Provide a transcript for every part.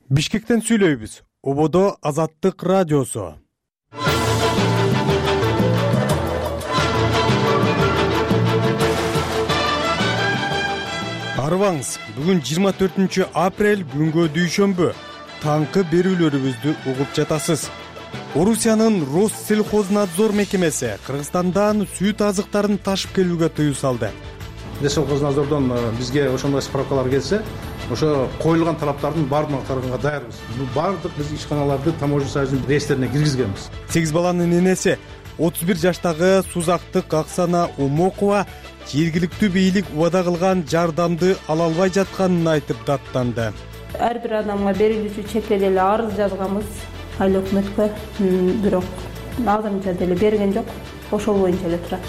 Бишкектен сүйлөйбүз. Ободо Азаттык радиосу. Арыбаңыз, бүгүн 24 апрель күнгө дүйшөмбү. Таңкы берүүлөрүбүздү угуп жатасыз. Орусиянын Россельхознадзор мекемеси Кыргызстандан сүт азыктарын ташып келүүгө тыюу салды. Россельхознадзордон бизге ошондой справкалар келсе, ошо коюлган талаптардын баардыгын аткарганга даярбыз. Баардык биз ишканаларды таможня союзунун реестрине киргизгенбиз. 8 баланын энеси 31 жаштагы Сузактык Аксана Умокова жергиликтүү бийлик убада кылган жардамды ала албай жатканын айтып даттанды. Ар бир адамга берилүүчү чекке деле арыз жазганбыз айыл өкмөткө, бирок азырынча деле берген жок. Ошол боюнча эле турат.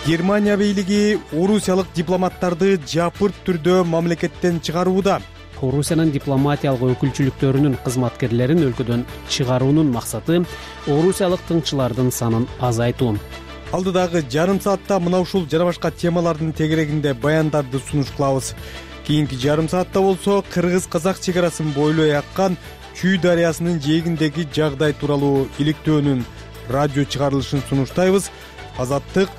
Германия бийлиги орусиялык дипломаттарды жапырт түрдө мамлекеттен чыгарууда. Орусиянын дипломатиялык өкүлчүлүктөрүнүн кызматкерлерин өлкөдөн чыгаруунун максаты орусиялык тыңчылардын санын азайтуу. Алдыдагы жарым саатта мына ушул жана башка темалардын тегерегинде баяндарды сунуш кылабыз. Кийинки жарым саатта болсо кыргыз-казак чегарасын бойлой аккан Чүй дарыясынын жээгиндеги жагдай тууралуу иликтөөнүн радио чыгарылышын сунуштайбыз. Азаттык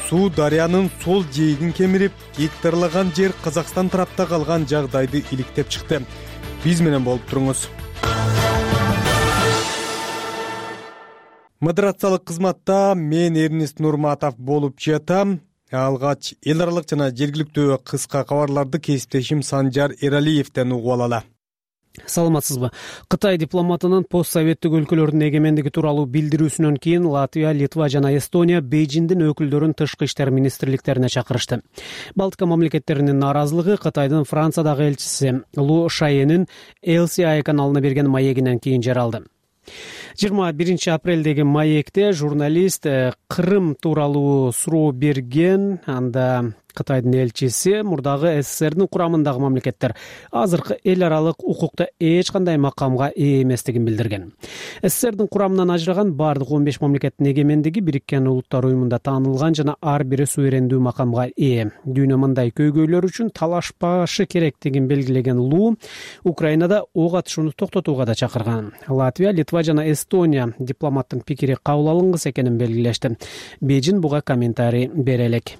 суу дарыянын сол жээгин кемирип, гектарлаган жер Казакстан тарапта калган жагдайды иликтеп чыкты. Биз менен болуп туруңуз. Модерациялык кызматта мен Эрнест Нурматов болуп жатам. Алгач эл аралык жана жергиликтүү кыска кабарларды кесиптешим Санжар Эралиевден угуп алалы. Саламатсызбы? Кытай дипломатынын постсоветтик өлкөлөрдүн эгемендиги тууралуу билдирүүсүнөн кийин Латвия, Литва жана Эстония Бейжиңдин өкүлдөрүн тышкы иштер министрликтерине чакырышты. Балтика мамлекеттеринин нааразылыгы Кытайдын Франциядагы элчиси Лу Шаенин LCI каналына берген маегинен кийин жаралды. 21 апрелдеги маекте журналист Кырым тууралуу суроо берген, анда Кытайдын элчиси мурдагы СССРдин курамындагы мамлекеттер азыркы эл аралык укукта эч кандай макамга ээ эместигин билдирген. СССРдин курамынан ажыраган бардык 15 мамлекеттин эгемендиги Бириккен Улуттар уюмунда таанылган жана ар бири суверендүү макамга ээ. Дүйнө мындай көйгөйлөр үчүн талашпашы керектигин белгилеген Лу Украинада ок атышууну токтотууга да чакырган. Латвия, Литва жана Эстония дипломаттын пикири кабыл алынгыс экенин белгилешти. Бейжиң буга комментарий бере элек.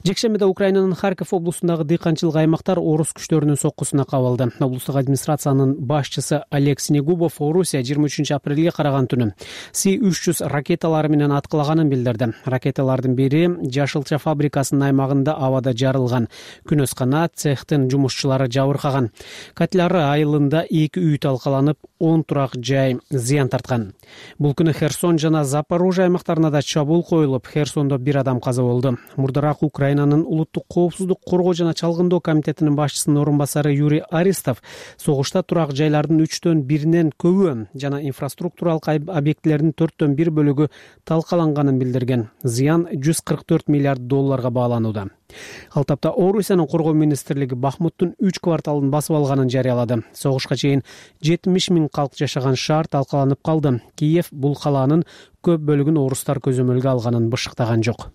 Жекшембиде Украинанын Харьков облусундагы дыйканчылык аймактар орус күчтөрүнүн соккусуна кабылды. Облустук администрациянын башчысы Олег Снегубов Орусия 23 апрелге караган түнү С-300 ракеталары менен аткылаганын билдирди. Ракеталардын бири Жашылча фабрикасынын аймагында абада жарылган. Күнөскана цехтин жумушчулары жабыркаган. Катлары айылында 2 үй талкаланып, 10 турак жай зыян тарткан. Бул күнү Херсон жана Запорожье аймактарына да чабуул коюлуп, Херсондо 1 адам каза болду. Мурдараак Украинанын улуттук коопсуздук коргоо жана чалгындоо комитетинин башчысынын орун басары Юрий Аристов согушта турак жайлардын 3төн 1 көбү жана инфраструктуралык объектилердин 4төн 1 бөлүгү талкаланганын билдирген. Зыян 144 миллиард долларга бааланууда. Ал тапта Орусиянын коргоо министрлиги Бахмуттун 3 кварталын басып алганын жарыялады. Согушка чейин 70 000 калк жашаган шаар талкаланып калды. Киев бул калаанын көп бөлүгүн орустар көзөмөлгө алганын бышыктаган жок.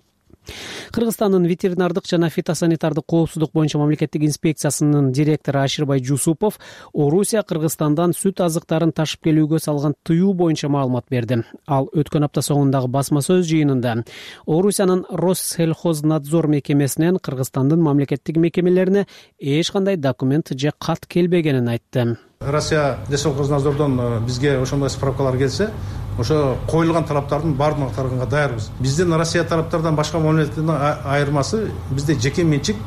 Кыргызстандын ветеринардык жана фитосанитардык коопсуздук боюнча мамлекеттик инспекциясынын директору Аширбай Жусупов Орусия Кыргызстандан сүт азыктарын ташып келүүгө салган тыюу боюнча маалымат берди. Ал өткөн апта соңундагы басма сөз жыйынында Орусиянын Россельхознадзор мекемесинен Кыргызстандын мамлекеттик мекемелерине эч кандай документ же кат келбегенин айтты. Россия Россельхознадзордон бизге ошондой справкалар келсе, ошо коюлган талаптардын баардыгын аткарганга даярбыз. Биздин Россия тараптардан башка мамлекеттердин айырмасы бизде жеке менчик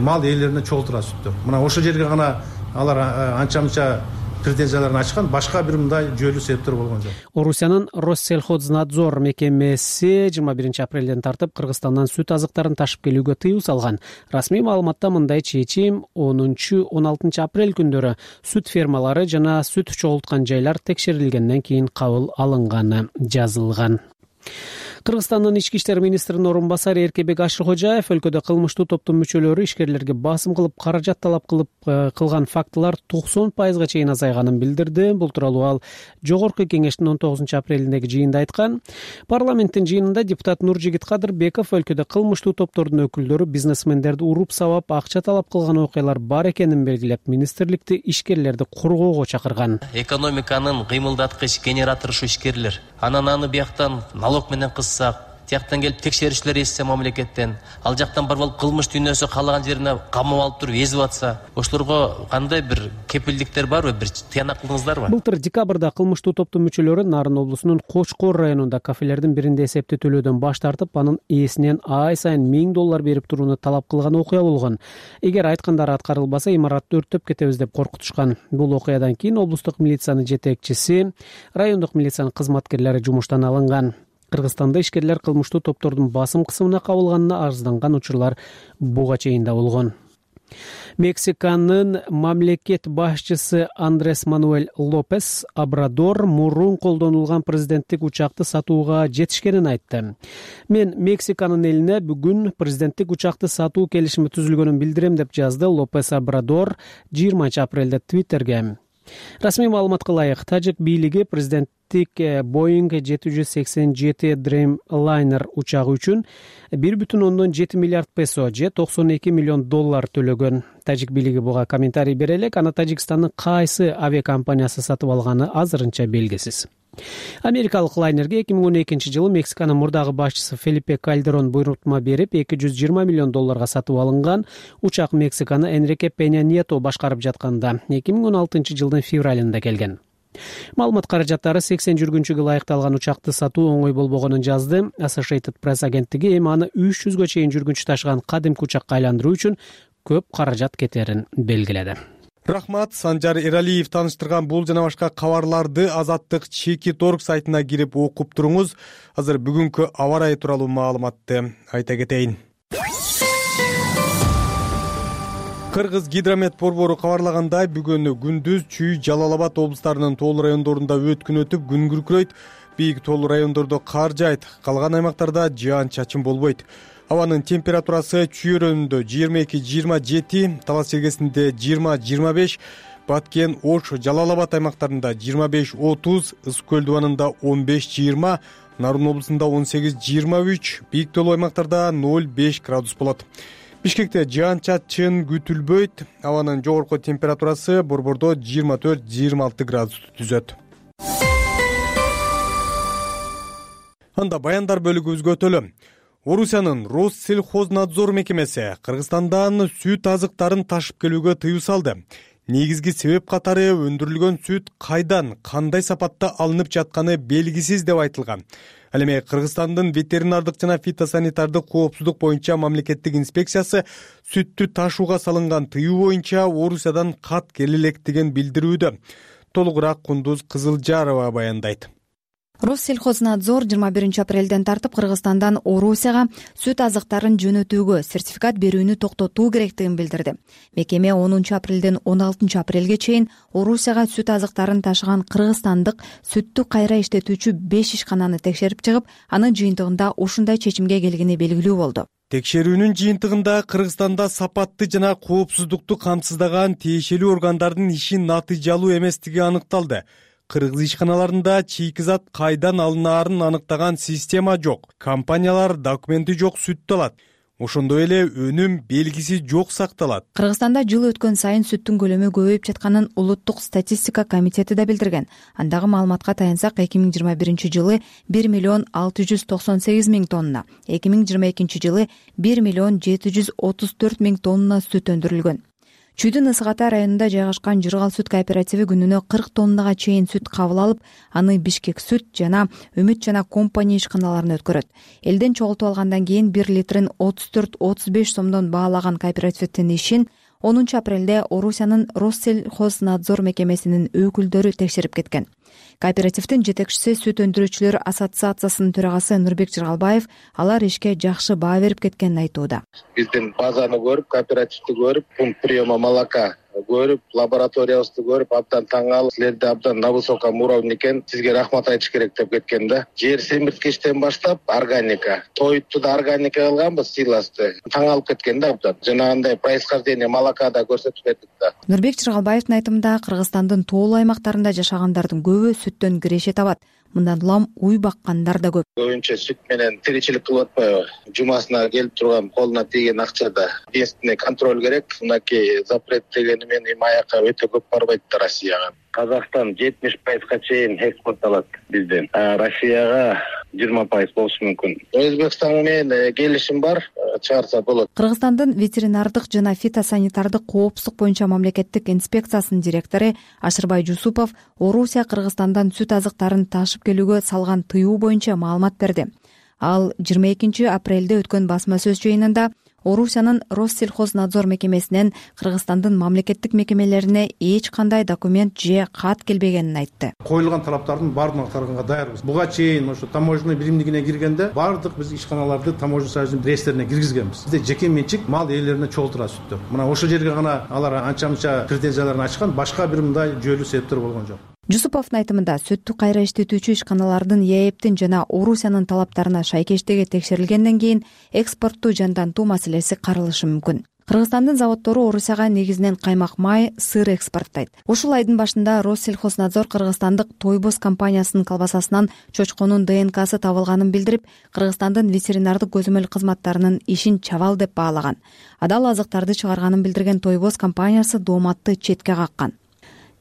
мал ээлерине чогултуп турат сүттөр. Мына ошол жерге гана алар анча-мынча претензияларын ачкан, башка бир мындай жүйөлүү себептер болгон жок. Орусиянын Россельхознадзор мекемеси 21 апрелден тартып Кыргызстандан сүт азыктарын ташып келүүгө тыюу салган. Расмий маалыматта мындай чечим 10-16 апрель күндөрү сүт фермалары жана сүт чогулткан жайлар текшерилгенден кийин кабыл алынганы жазылган. Кыргызстандын ички иштер министринин орун басары Эркебек Ашыркожаев өлкөдө кылмыштуу топтун мүчөлөрү ишкерлерге басым кылып, каражат талап кылган фактылар 90%га чейин азайганын билдирди. Бул тууралуу ал Жогорку кеңештин 19 апрелиндеги жыйында айткан. Парламенттин жыйынында депутат Нуржигит Кадырбеков өлкөдө кылмыштуу топтордун өкүлдөрү бизнесмендерди уруп сабап, акча талап кылган окуялар бар экенин белгилеп, министрликти ишкерлерди коргоого чакырган. Экономиканын кыймылдаткыч генератору ушу ишкерлер. Анан аны бияктан налог менен кыссак, тияктан келип текшерүүчүлөр эссе мамлекеттен, ал жактан барып алып кылмыш дүйнөсү каалаган жерине камап алып туруп эзип атса, ошолорго кандай бир кепилдиктер барбы, бир тыянак кылдыңыздарбы? Былтыр декабрда кылмыштуу топтун мүчөлөрү Нарын облусунун Кочкор районунда кафелердин биринде эсепти төлөөдөн баш тартып, анын ээсинен ай сайын $1000 берип турууну талап кылган окуя болгон. Эгер айткандары аткарылбаса, имаратты өрттөп кетебиз деп коркутушкан. Бул окуядан кийин облустук милициянын жетекчиси, райондук милициянын кызматкерлери жумуштан алынган. Кыргызстанда ишкерлер кылмыштуу топтордун басым кысымына кабылганына арызданган учурлар буга чейин да болгон. Мексиканын мамлекет башчысы Андрес Мануэль Лопес Обрадор мурун колдонулган президенттик учакты сатууга жетишкенин айтты. Мен Мексиканын элине бүгүн президенттик учакты сатуу келишими түзүлгөнүн билдирем деп жазды Лопес Обрадор 20 апрелде Твиттерге. Расмий маалыматка ылайык, тажик бийлиги президенттик Boeing 787 Dreamliner учагы үчүн 1,7 миллиард песо же $92 миллион төлөгөн. Тажик бийлиги буга комментарий бере элек, аны Тажикстандын кайсы авиакомпаниясы сатып алганы азырынча белгисиз. Америкалык лайнерге 2012 жылы Мексиканын мурдагы башчысы Фелипе Кальдерон буйрутма берип, $220 миллион сатып алынган. Учак Мексиканы Энрике Пеня Nieto башкарып жатканда 2016 жылдын февралында келген. Маалымат каражаттары 80 жүргүнчүгө ылайыкталган учакты сатуу оңой болбогонун жазды. Associated Press агенттиги эми аны 300гө чейин жүргүнчү ташыган кадимки учакка айландыруу үчүн көп каражат кетерин белгиледи. Рахмат, Санжар Эралиев таныштырган бул жана башка кабарларды Азаттык Чекит.org сайтына кирип окуп туруңуз. Азыр бүгүнкү аба ырайы тууралуу маалыматты айта кетейин. Кыргыз гидромет борбору кабарлагандай, бүгүн күндүз Чүй, Жалал Абад облустарынын тоолуу райондорунда өткүн өтүп, күн күркүрөйт. Бийик тоолуу райондордо кар жаайт, калган аймактарда жаан-чачын болбойт. Абанын температурасы Чүй районунда 22-27, Талас Сергесинде 20-25, Баткен, Ош, Жалал Абад аймактарында 25-30, Ысык көл дубанында 15-20, Нарын облусунда 18-23, бийик тоолуу аймактарда 0-5 градус болот. Бишкекте жаан-чачын күтүлбөйт. Абанын жогорку температурасы борбордо 24-26 градус түзөт. Анда баяндар бөлүгүбүзгө өтөлү. Орусиянын Россельхознадзор мекемеси Кыргызстандан сүт азыктарын ташып келүүгө тыюу салды. Негизги себеп катары өндүрүлгөн сүт кайдан, кандай сапатта алынып жатканы белгисиз деп айтылган. Ал эми Кыргызстандын ветеринардык жана фитосанитардык коопсуздук боюнча мамлекеттик инспекциясы сүттү ташууга салынган тыюу боюнча Орусиядан кат келе электигин билдирүүдө. Толугураак Кундуз Кызылжарова баяндайт. Россельхознадзор 21 апрелден тартып Кыргызстандан Орусияга сүт азыктарын жөнөтүүгө сертификат берүүнү токтотуу керектигин билдирди. Мекеме 10 апрелден 16 апрелге чейин Орусияга сүт азыктарын ташыган кыргызстандык сүттү кайра иштетүүчү 5 ишкананы текшерип чыгып, анын жыйынтыгында ушундай чечимге келгени белгилүү болду. Текшерүүнүн жыйынтыгында Кыргызстанда сапатты жана коопсуздукту камсыздаган тиешелүү органдардын иши натыйжалуу эместиги аныкталды. Кыргыз ишканаларында чийки зат кайдан алынаарын аныктаган система жок. Компаниялар документи жок сүттү алат. Ошондой эле өнүм белгиси жок сакталат. Кыргызстанда жыл өткөн сайын сүттүн көлөмү көбөйүп жатканын Улуттук статистика комитети да билдирген. Андагы маалыматка таянсак, 2021 жылы 1,698,000 тонна, 2022 жылы 1,734,000 тонна сүт өндүрүлгөн. Чүйдүн Ысык Ата районунда жайгашкан Жыргал сүт кооперативи күнүнө 40 тоннага чейин сүт кабыл алып, аны Бишкек сүт жана Үмүт жана компания ишканаларына өткөрөт. Элден чогултуп алгандан кийин 1 литрин 34-35 сомдон баалаган кооперативдин ишин 10 апрелде Орусиянын Россельхознадзор мекемесинин өкүлдөрү текшерип кеткен. Кооперативдин жетекчиси Сүт өндүрүүчүлөр ассоциациясынын төрагасы Нурбек Жыргалбаев алар ишке жакшы баа берип кеткенин айтууда. Биздин базаны көрүп, кооперативди көрүп, пункт приема молока көрүп, лабораториябызды көрүп, абдан таң калып, силерде абдан на высоком уровне экен, сизге рахмат айтыш керек деп кеткен да. Жер семирткичтен баштап органика, тоютту да органика кылганбыз, силосты. Таң калып кеткен да абдан. Жанагындай происхождение молока да көрсөтүп бердик да. Нурбек Чыргалбаевдин айтымында Кыргызстандын тоолуу аймактарында жашагандардын көбү сүттөн киреше табат. Мындан улам уй баккандар да көп. Көбүнчө сүт менен тиричилик кылып атпайбы? Жумасына келип турган, колуна тийген акчада единственный контроль керек. Мынакей запрет дегени менен аяка өтө көп барбайт да Россияга. Казакстан 70% чейин экспортталат бизден. Россияга 20% болушу мүмкүн. Өзбекстан менен келишим бар, чыгарса болот. Кыргызстандын ветеринардык жана фитосанитардык коопсуздук боюнча мамлекеттик инспекциясынын директору Ашырбай Жусупов Орусия Кыргызстандан сүт азыктарын ташып келүүгө салган тыюу боюнча маалымат берди. Ал 22 апрелде өткөн басма сөз жыйынында Орусиянын Россельхознадзор мекемесинен Кыргызстандын мамлекеттик мекемелерине эч кандай документ же кат келбегенин айтты. Коюлган талаптардын баардыгын аткарганга даярбыз. Буга чейин ошо таможенный биримдигине киргенде баардык биз ишканаларды таможенный союздун реестрине киргизгенбиз. Бизде жеке менчик мал ээлерине чогултурат сүттөр. Мына ошол жерге гана алар анча-мынча претензияларын ачкан, башка бир мындай жүйөлүү себептер болгон жок. Жусуповдун айтымында сүттү кайра иштетүүчү ишканалардын ЕЭПтин жана Орусиянын талаптарына шайкештиги текшерилгенден кийин экспортту жандантуу маселеси каралышы мүмкүн. Кыргызстандын заводдору Орусияга негизинен каймак май, сыр экспорттойт. Ушул айдын башында Россельхознадзор кыргызстандык Тойбос компаниясынын колбасасынан чочконун ДНКсы табылганын билдирип, Кыргызстандын ветеринардык көзөмөл кызматтарынын ишин чабал деп баалаган. Адал азыктарды чыгарганын билдирген Тойбос компаниясы дооматты четке каккан.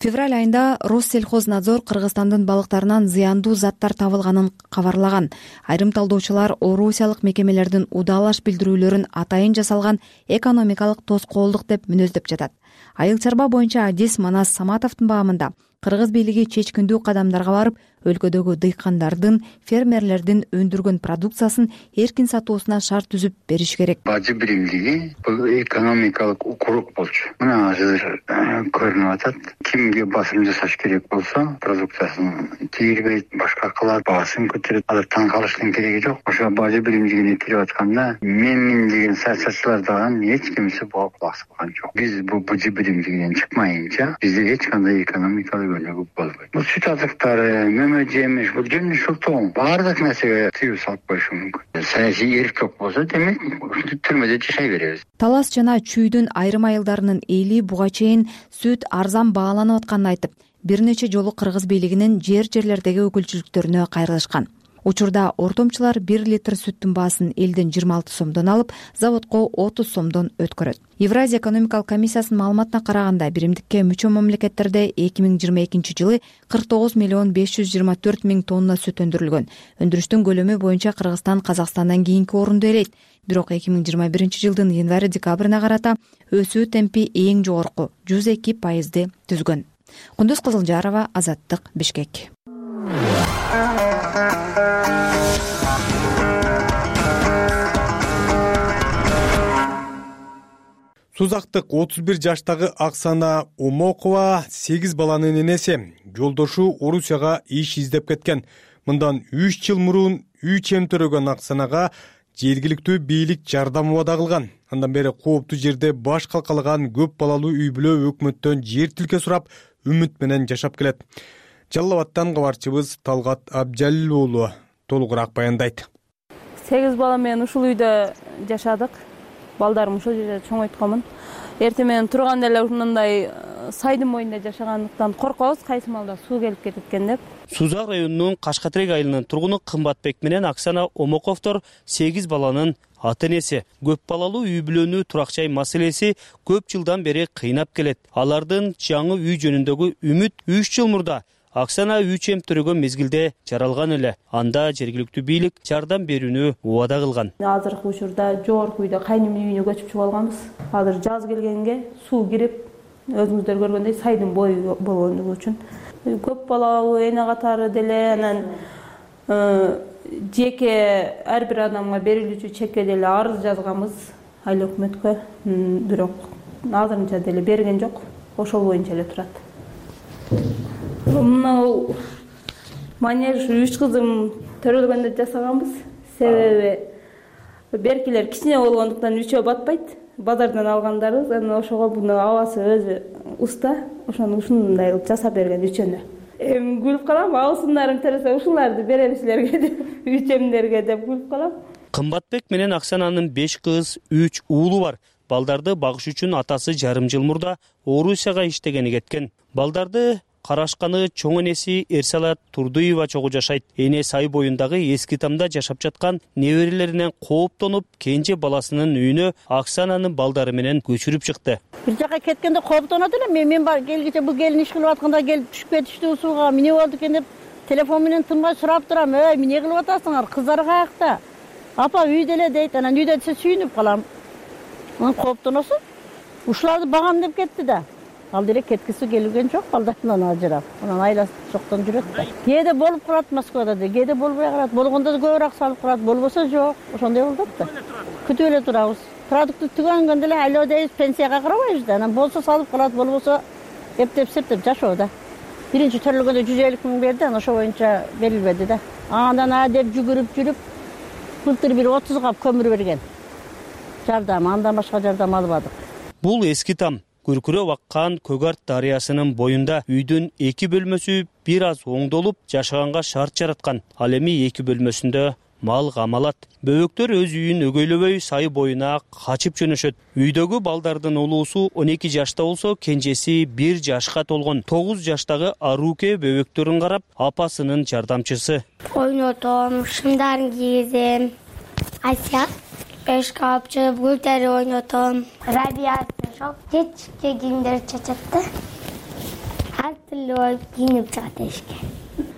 Февраль айында Россельхознадзор Кыргызстандын балыктарынан зыяндуу заттар табылганын кабарлаган. Айрым талдоочулар орусиялык мекемелердин удалаш билдирүүлөрүн атайын жасалган экономикалык тоскоолдук деп мүнөздөп жатат. Айыл чарба боюнча Адис Манас Саматовдун баамында кыргыз бийлиги чечкиндүү кадамдарга барып, өлкөдөгү дыйкандардын, фермерлердин өндүргөн продукциясын эркин сатуусуна шарт түзүп бериш керек. Бажы биримдиги бул экономикалык укурук болчу. Мына азыр көрүнүп атат. Кимге басым жасаш керек болсо, продукциясын тийгизбейт, башка кылат, баасын көтөрөт. Алар таң калыштын кереги жок. Ошо бажы биримдигине кирип атканда мен деген саясатчылар дагы эч кимсе буга кулак салган жок. Биз бул бажы биримдигинен чыкмайынча бизде эч кандай экономикалык өнүгүү болбойт. Бул сүт азыктары, жемиш, бул жемиш ушул баардык нерсеге тыюу салып коюшу мүмкүн. Саясий эрктик болсо, демек түрмөдө жашай беребиз. Талас жана Чүйдүн айрым айылдарынын эли буга чейин сүт арзан бааланып атканын айтып, бир нече жолу кыргыз бийлигинин жерлердеги өкүлчүлүктөрүнө кайрылышкан. Учурда ортомчулар 1 литр сүттүн баасын элден 26 сомдон алып, заводко 30 сомдон өткөрөт. Евразия экономикалык комиссиясынын маалыматына караганда, биримдикке мүчө мамлекеттерде 2022 жылы 49 миллион 524 миң тонна сүт өндүрүлгөн. Өндүрүштүн көлөмү боюнча Кыргызстан Казакстандан кийинки орунду ээлейт. Бирок 2021 жылдын январь-декабрына карата өсүү темпи эң жогорку 102% түзгөн. Кундуз Кызылжарова, Азаттык, Бишкек. Сузактык 31 жаштагы Аксана Омокова 8 баланын энеси. Жолдошу Орусияга иш издеп кеткен. Мындан 3 жыл мурун үй чем төрөгөн Аксанага жергиликтүү бийлик жардам убада кылган. Андан бери кооптуу жерде баш калкалаган көп балалуу үй бүлө өкмөттөн жер тилке сурап, үмүт менен жашап келет. Жалал Абадтан кабарчыбыз Талгат Абжалил уулу толугураак баяндайт. 8 бала менен ушул үйдө жашадык. Балдарым ушул жерде чоңойтконмун. Эртең менен турганда эле ушундай сайдын боюнда жашагандыктан коркобуз, кайсы маалда суу келип кетет экен деп. Сузак районунун Кашкатерек айылынын тургуну Кымбатбек менен Аксана Омоковдор 8 баланын ата энеси. Көп балалуу үй бүлөнү турак жай маселеси көп жылдан бери кыйнап келет. Алардын жаңы үй жөнүндөгү үмүт 3 жыл мурда Аксана үй чем төрөгөн мезгилде жаралган эле. Анда жергиликтүү бийлик жардам берүүнү убада кылган. Азыркы учурда жогорку үйдө кайнымдын үйүнө көчүп чыгып алганбыз. Азыр жаз келгенге суу кирип, өзүңүздөр көргөндөй сайдын бою болгондугу үчүн көп балалуу эне катары деле, анан жеке ар бир адамга берилүүчү чекке деле арыз жазганбыз айыл өкмөткө, бирок азырынча деле берген жок. Ошол боюнча эле турат. Мына манеж 3 кызым төрөлгөндө жасаганбыз. Себеби беркилер кичине болгондуктан 3-өө батпайт. базардан алгандарыбыз. Анан ошого буну абасы өзү уста, ошону ушундай кылып жасап берген үчөнү. Эми күлүп калам, абысындарым тересе ушуларды берем силерге деп, үчемдерге деп күлүп калам. Кымбатбек менен Аксананын 5 кыз, 3 уулу бар. Балдарды багыш үчүн атасы жарым жыл мурда Орусияга иштегени кеткен. Балдарды карашканы чоң энеси Эрсалат Турдуева чогуу жашайт. Эне Сай боюндагы эски тамда жашап жаткан неберелеринен кооптонуп, кенже баласынын үйүнө Аксананын балдары менен көчүрүп чыкты. Бир жака кеткенде кооптонот элем. Мен бар келгиче бул келин иш кылып атканда келип түшүп кетиштүү сууга. Эмне болду экен деп телефон менен тынбай сурап турам. Эмне кылып атасыңар? Кыздар каякта? Апа үйдө эле дейт. Анан үйдө десе сүйүнүп калам. Анан кооптоносуң. Ушуларды багам деп кетти да. Ал деле кеткиси келген жок, балдарынан ажырап. Анан айласы жоктон жүрөт да. Кээде болуп калат Москвада да, кээде болбой калат. Болгондо да көбүрөөк салып калат, болбосо жок. Ошондой болот да. Күтүп эле турабыз. Продукты түгөнгөндө эле айлоо дейбиз, пенсияга карабайбыз да. Анан болсо салып калат, болбосо эптеп жашоо да. Биринчи төрөлгөндө 150 000 берди, анан ошо боюнча берилбеди да. Андан деп жүгүрүп жүрүп былтыр бир 30 кап көмүр берген. Жардам, андан башка жардам албадык. Бул эски там күркүрөп аккан Көгарт дарыясынын боюнда үйдүн 2 бөлмөсү бир аз оңдолуп жашаганга шарт жараткан. Ал эми 2 бөлмөсүндө мал камалат. Бөбөктөр өз үйүн өгөйлөбөй Сай боюна качып жөнөшөт. Үйдөгү балдардын улуусу 12 жашта болсо, кенжеси 1 жашка толгон. 9 жаштагы Аруке бөбөктөрүн карап, апасынын жардамчысы. Ойнотом, шымдарын кийгизем. Ася эшкапчы, гүлтери ойнотом. Рабиясы жок, кечке кийимдер чачат да. Ар түрлүү кийинип чыгат эшикке.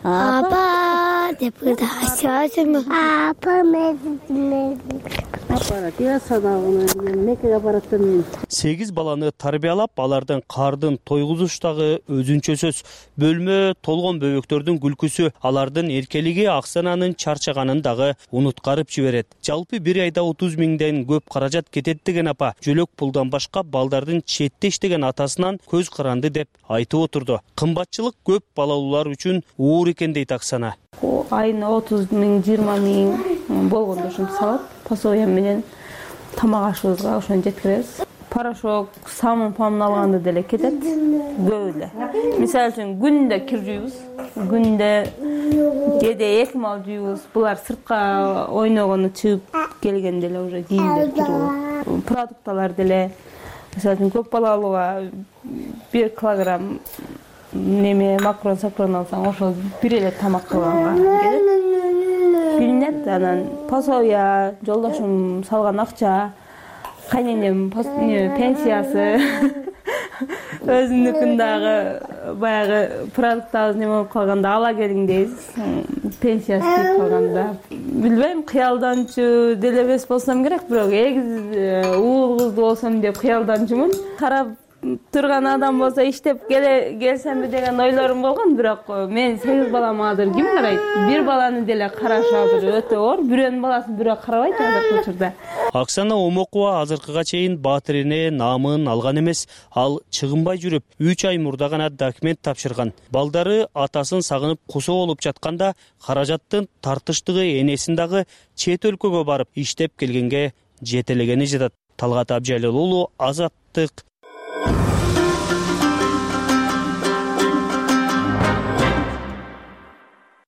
Апа деп ырда асясым. Апа мен. Апарат, я садагыны мекеге бараттым мен. 8 баланы тарбиялап, алардын кардын тойгузуштагы өзүнчө сөз. Бөлмө толгон бөбөктөрдүн күлкүсү, алардын эркелиги Аксананын чарчаганын дагы унуткарып жиберет. Жалпы бир айда 30 000ден көп каражат кетет деген апа, жөлөк пулдан башка балдардын четте иштеген атасынан көз каранды деп айтып отурду. Кымбатчылык көп балалуулар үчүн оор экен дейт Аксана. Айына 30 000, 20 000 болгондо ушинтип салат. Пособие менен тамак ашыбызга ошону жеткиребиз. Порошок, самын алганда деле кетет. Көп эле. Мисалы үчүн күндө кир жуйбуз. Күндө кээде 2 мал жуйбуз. Булар сыртка ойногону чыгып келгенде эле уже кийимдер кирип. Продукталар деле мисалы үчүн көп балалууга 1 килограмм неме макрон алсаң, ошол бир эле тамак кылганга келет. Билинет, анан пособия, жолдошум салган акча, кайненем пенсиясы, өзүнүкүн дагы баягы продуктабыз неме болуп калганда ала келиң дейбиз. Пенсиясы тип калганда. Билбейм, кыялданчу деле эмес болсом керек, бирок эгиз уул кызды болсом деп кыялданчумун. Карап турган адам болсо иштеп келсемби деген ойлорум болгон, бирок мен 8 балам азыр ким карайт? Бир баланы деле караш азыр өтө оор. Бирөөнүн баласын бирөө карабайт азыркы учурда. Аксана Омокова азыркыга чейин Баатыр эне наамын алган эмес, ал чыгынбай жүрүп 3 ай мурда гана документ тапшырган. Балдары атасын сагынып кусо болуп жатканда каражаттын тартыштыгы энесин дагы чет өлкөгө барып иштеп келгенге жетелегени жатат. Талгат Абжалил уулу, Азаттык.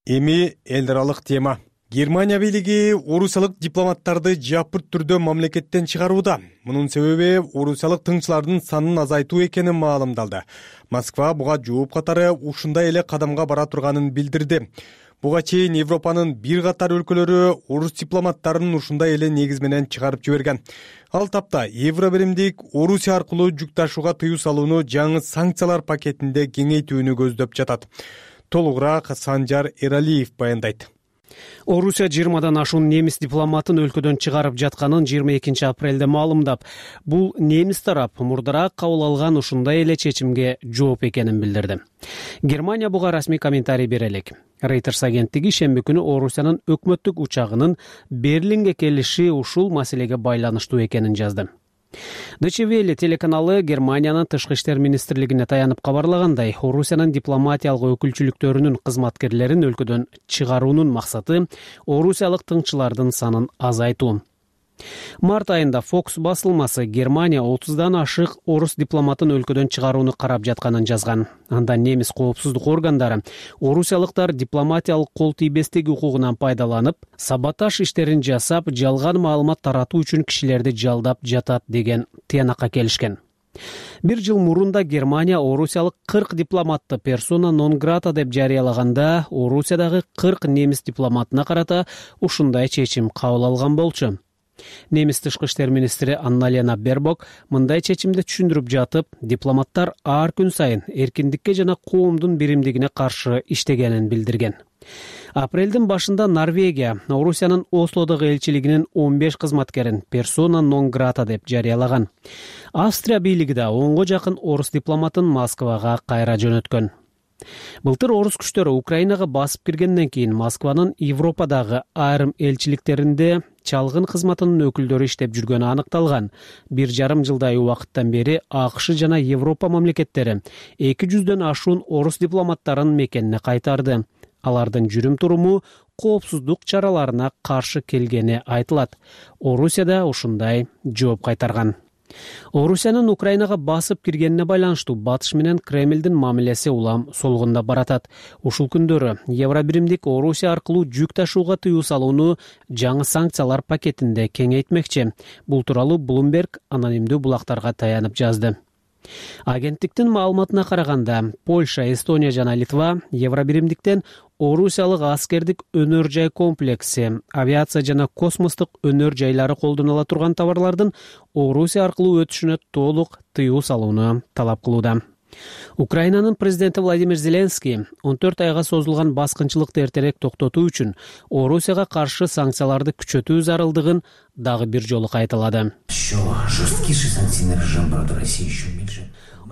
Эми эл аралык тема. Германия бийлиги орусиялык дипломаттарды жапырт түрдө мамлекеттен чыгарууда. Мунун себеби орусиялык тыңчылардын санын азайтуу экени маалымдалды. Москва буга жооп катары ушундай эле кадамга бара турганын билдирди. Буга чейин Европанын бир катар өлкөлөрү орус дипломаттарын ушундай эле негиз менен чыгарып жиберген. Ал тапта Евро биримдик Орусия аркылуу жүк ташууга тыюу салууну жаңы санкциялар пакетинде кеңейтүүнү көздөп жатат. Толугураак Санжар Эралиев баяндайт. Орусия 20дан ашуун немис дипломатын өлкөдөн чыгарып жатканын 22 апрелде маалымдап, бул немис тарап мурдараак кабыл алган ушундай эле чечимге жооп экенин билдирди. Германия буга расмий комментарий бере элек. Reuters агенттиги шемби күнү Орусиянын өкмөттүк учагынын Берлинге келиши ушул маселеге байланыштуу экенин жазды. Deutsche Welle телеканалы Германиянын тышкы иштер министрлигине таянып кабарлагандай, Орусиянын дипломатиялык өкүлчүлүктөрүнүн кызматкерлерин өлкөдөн чыгаруунун максаты орусиялык тыңчылардын санын азайтуу. Март айында Fox басылмасы Германия 30дан ашык орус дипломатын өлкөдөн чыгарууну карап жатканын жазган. Анда немис коопсуздук органдары орусиялыктар дипломатиялык кол тийбестик укугунан пайдаланып, саботаж иштерин жасап, жалган маалымат таратуу үчүн кишилерди жалдап жатат деген тыянакка келишкен. Бир жыл мурунда Германия орусиялык 40 дипломатты персона нон грата деп жарыялаганда, Орусиядагы 40 немис дипломатына карата ушундай чечим кабыл алган болчу. Немис тышкы иштер министри Анна-Лена Бербок мындай чечимди түшүндүрүп жатып, дипломаттар ар күн сайын эркиндикке жана коомдун биримдигине каршы иштегенин билдирген. Апрелдин башында Норвегия Орусиянын Ослодогу элчилигинин 15 кызматкерин персона нон грата деп жарыялаган. Австрия бийлиги да 10го жакын орус дипломатын Москвага кайра жөнөткөн. Былтыр орус күчтөрү Украинага басып киргенден кийин Москванын Европадагы айрым элчиликтеринде чалгын кызматынын өкүлдөрү иштеп жүргөнү аныкталган. 1,5 жылдай убакыттан бери АКШ жана Европа мамлекеттери 200дөн ашуун орус дипломаттарын мекенине кайтарды. Алардын жүрүм туруму коопсуздук чараларына каршы келгени айтылат. Орусияда ушундай жооп кайтарган. Орусиянын Украинага басып киргенине байланыштуу Батыш менен Кремлдин мамилеси улам солгунда баратат. Ушул күндөрү Евробиримдик Орусия аркылуу жүк ташууга тыюу салууну жаңы санкциялар пакетинде кеңейтмекчи. Бул тууралуу Bloomberg анонимдүү булактарга таянып жазды. Агенттиктин маалыматына караганда, Польша, Эстония жана Литва Евробиримдиктен орусиялык аскердик өнөр жай комплекси, авиация жана космостук өнөр жайлары колдонула турган товарлардын Орусия аркылуу өтүшүнө толук тыюу салууну талап кылууда. Украинанын президенти Владимир Зеленский 14 айга созулган баскынчылыкты эртерээк токтотуу үчүн Орусияга каршы санкцияларды күчөтүү зарылдыгын дагы бир жолу кайталады.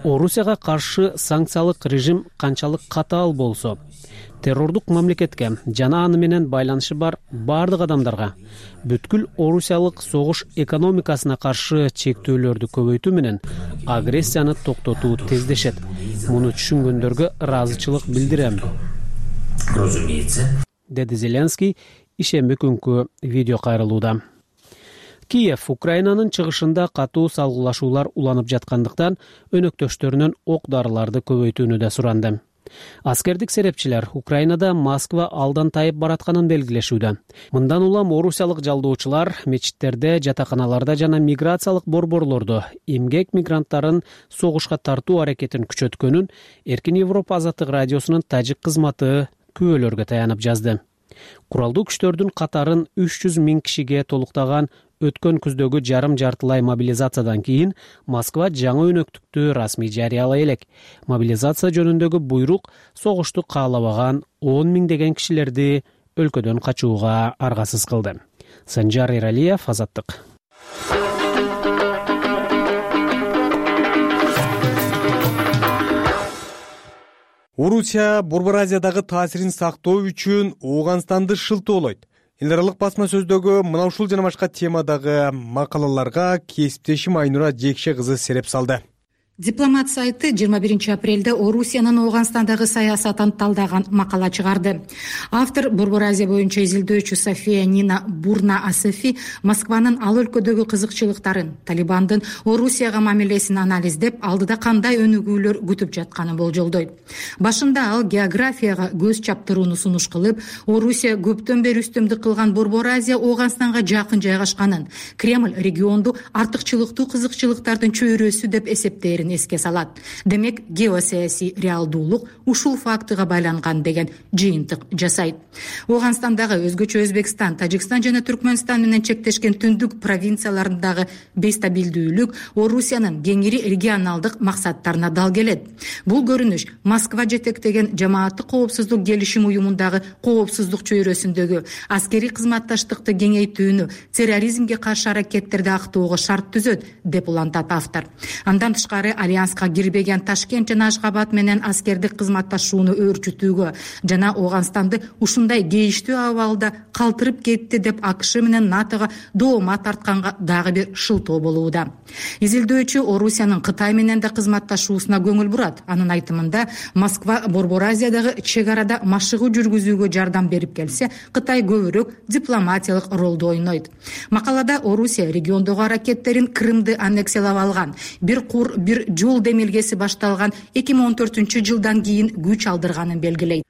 Орусияга каршы санкциялык режим канчалык катаал болсо, террордук мамлекетке жана аны менен байланышы бар бардык адамдарга бүткүл орусиялык согуш экономикасына каршы чектөөлөрдү көбөйтүү менен агрессияны токтотуу тездешет. Муну түшүнгөндөргө ыраазычылык билдирем, деди Зеленский ишемби күнкү видео кайрылууда. Киев Украинанын чыгышында катуу салгылашуулар уланып жаткандыктан өнөктөштөрүнөн ок дарыларды көбөйтүүнү да суранды. Аскердик серепчилер Украинада Москва алдан тайып баратканын белгилешүүдө. Мындан улам орусиялык жалдоочулар мечиттерде, жатаканаларда жана миграциялык борборлордо эмгек мигранттарын согушка тартуу аракетин күчөткөнүн Эркин Европа азаттык радиосунун тажик кызматы күбөлөргө таянып жазды. Куралдуу күчтөрдүн катарын 300 000 кишиге толуктаган өткөн күздөгү жарым-жартылай мобилизациядан кийин Москва жаңы өнөктүктү расмий жарыялай элек. Мобилизация жөнүндөгү буйрук согушту каалабаган 10 миңдеген кишилерди өлкөдөн качууга аргасыз кылды. Санжар Иралиев, Азаттык. Орусия Борбор Азиядагы таасирин сактоо үчүн Ооганстанды шылтоолойт. Эл аралык басма сөздөгү мына ушул жана башка темадагы макалаларга кесиптешим Айнура Жекше кызы сереп салды. Дипломат сайты 21 апрелде Орусиянын Ооганстандагы саясатын талдаган макала чыгарды. Автор Борбор Азия боюнча изилдөөчү София Нина Бурна-Асефи Москванын ал өлкөдөгү кызыкчылыктарын, Талибандын Орусияга мамилесин анализдеп, алдыда кандай өнүгүүлөр күтүп жатканын болжолдойт. Башында ал географияга көз чаптырууну сунуш кылып, Орусия көптөн бери үстөмдүк кылган Борбор Азия Ооганстанга жакын жайгашканын, Кремль регионду артыкчылыктуу кызыкчылыктардын чөйрөсү деп эсептээрин эске салат. Демек, геосаясий реалдуулук ушул фактыга байланган деген жыйынтык жасайт. Ооганстандагы өзгөчө Өзбекстан, Тажикстан жана Түркмөнстан менен чектешкен түндүк провинцияларындагы бестабилдүүлүк Орусиянын кеңири регионалдык максаттарына дал келет. Бул көрүнүш Москва жетектеген жамааттык коопсуздук келишим уюмундагы коопсуздук чөйрөсүндөгү аскерий кызматташтыкты кеңейтүүнү, терроризмге каршы аракеттерди актоого шарт түзөт, деп улантат автор. Андан тышкары альянска кирбеген Ташкент жана Ашгабад менен аскердик кызматташууну өөрчүтүүгө жана Ооганстанды ушундай кейиштүү абалда калтырып кетти деп АКШ менен НАТОго доома тартканга дагы бир шылтоо болууда. Изилдөөчү Орусиянын Кытай менен да кызматташуусуна көңүл бурат. Анын айтымында Москва Борбор Азиядагы чек арада машыгуу жүргүзүүгө жардам берип келсе, Кытай көбүрөөк дипломатиялык ролду ойнойт. Макалада Орусия региондогу аракеттерин Крымды аннексиялап алган, бир кур, бир жол демилгеси башталган 2014-жылдан кийин күч алдырганын белгилейт.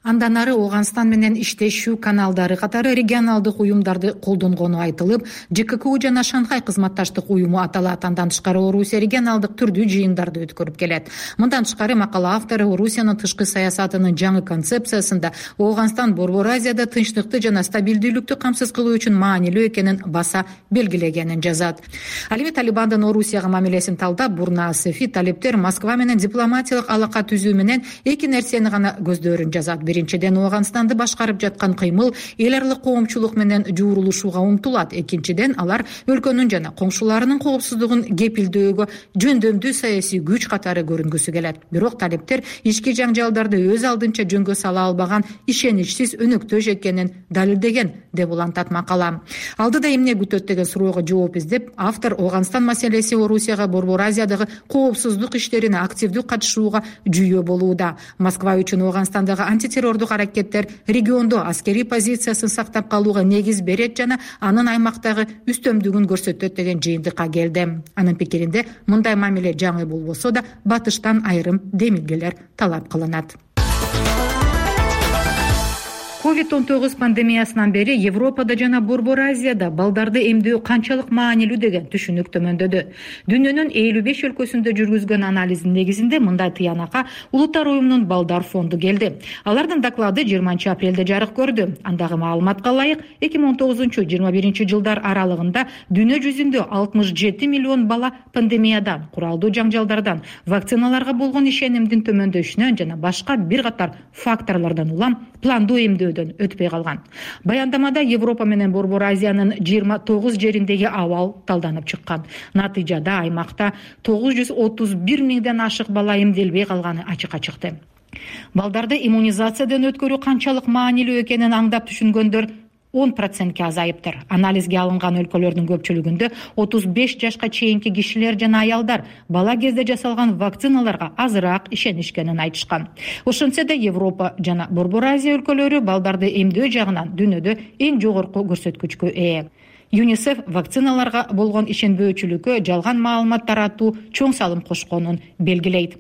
Андан ары Ооганстан менен иштешүү каналдары катары регионалдык уюмдарды колдонгону айтылып, ЖККУ жана Шанхай кызматташтык уюму аталат. Андан тышкары Орусия регионалдык түрдүү жыйындарды өткөрүп келет. Мындан тышкары макала автору Орусиянын тышкы саясатынын жаңы концепциясында Ооганстан Борбор Азияда тынчтыкты жана стабилдүүлүктү камсыз кылуу үчүн маанилүү экенин баса белгилегенин жазат. Ал эми Талибандын Орусияга мамилесин талдап, Бурна Асефи талептер Москва менен дипломатиялык алака түзүү менен эки нерсени гана көздөрүн жазат. Биринчиден, Ооганстанды башкарып жаткан кыймыл эл аралык коомчулук менен жуурулушууга умтулат. Экинчиден, алар өлкөнүн жана коңшуларынын коопсуздугун кепилдөөгө жөндөмдүү саясий күч катары көрүнгүсү келет. Бирок талептер ички жаңжалдарды өз алдынча жөнгө сала албаган ишеничсиз өнөктөш экенин далилдеген деп улантат макала. Алдыда эмне күтөт деген суроого жооп издеп, автор Ооганстан маселеси Орусияга Борбор Азиядагы коопсуздук иштерине активдүү катышууга жүйө болууда. Москва үчүн Ооганстандагы антитеррордук аракеттер региондо аскерий позициясын сактап калууга негиз берет жана анын аймактагы үстөмдүгүн көрсөтөт деген жыйынтыкка келди. Анын пикиринде мындай мамиле жаңы болбосо да батыштан айрым демилгелер талап кылынат. COVID-19 пандемиясынан бери Европада жана Борбор Азияда балдарды эмдөө канчалык маанилүү деген түшүнүк төмөндөдү. Дүйнөнүн 55 өлкөсүндө жүргүзгөн анализдин негизинде мындай тыянакка Улуттар уюмунун балдар фонду келди. Алардын доклады 20-апрелде жарык көрдү. Андагы маалыматка ылайык 2019-21 жылдар аралыгында дүйнө жүзүндө 67 миллион бала пандемиядан, куралдуу жаңжалдардан, вакциналарга болгон ишенимдин төмөндөшүнөн жана башка бир катар факторлордон улам пландуу эмдөөдөн өтпөй калган. Баяндамада Европа менен Борбор Азиянын 29 жериндеги абал талданып чыккан. Натыйжада аймакта 931 миңден ашык бала эмделбей калганы ачыкка чыкты. Балдарды иммунизациядан өткөрүү канчалык маанилүү экенин аңдап түшүнгөндөр 10%ке азайыптыр. Анализге алынган өлкөлөрдүн көпчүлүгүндө 35 жашка чейинки кишилер жана аялдар бала кезде жасалган вакциналарга азыраак ишенишкенин айтышкан. Ошентсе да Европа жана Борбор Азия өлкөлөрү балдарды эмдөө жагынан дүйнөдө эң жогорку көрсөткүчкө ээ. ЮНИСЕФ вакциналарга болгон ишенбөөчүлүккө жалган маалымат таратуу чоң салым кошконун белгилейт.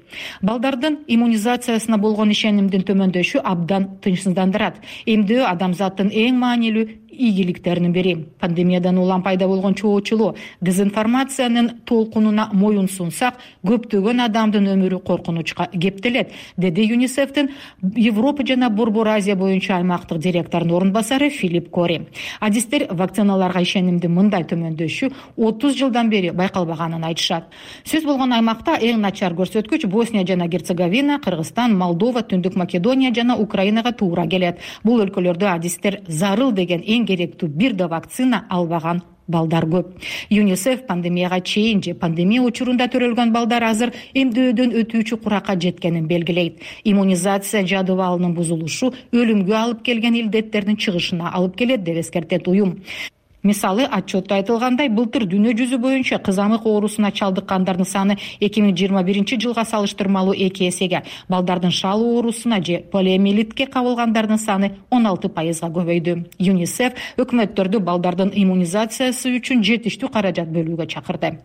Балдардын иммунизациясына болгон ишенимдин төмөндөшү абдан тынчсыздандырат. Эмдөө адамзаттын эң маанилүү ийгиликтеринин бири. Пандемиядан улам пайда болгон чоочулуу, дезинформациянын толкунуна моюн сунсак, көптөгөн адамдын өмүрү коркунучка кептелет, деди ЮНИСЕФтин Европа жана Борбор Азия боюнча аймактык директорунун орун басары Филипп Кори. Адистер вакциналарга ишенимдин мындай төмөндөшү 30 жылдан бери байкалбаганын айтышат. Сөз болгон аймакта эң начар көрсөткүч Босния жана Герцеговина, Кыргызстан, Молдова, Түндүк Македония жана Украинага туура келет. Бул өлкөлөрдө адистер зарыл деген эң керектүү бир да вакцина албаган балдар көп. ЮНИСЕФ пандемияга чейин же пандемия учурунда төрөлгөн балдар азыр эмдөөдөн өтүүчү куракка жеткенин белгилейт. Иммунизация жадыбалынын бузулушу өлүмгө алып келген илдеттердин чыгышына алып келет деп эскертет уюм. Мисалы, отчетто айтылгандай, былтыр дүйнө жүзү боюнча кызамык оорусуна чалдыккандардын саны 2021 жылга салыштырмалуу 2 эсеге, балдардын шал оорусуна же полиомиелитке кабылгандардын саны 16%га көбөйдү. ЮНИСЕФ өкмөттөрдү балдардын иммунизациясы үчүн жетиштүү каражат бөлүүгө чакырды.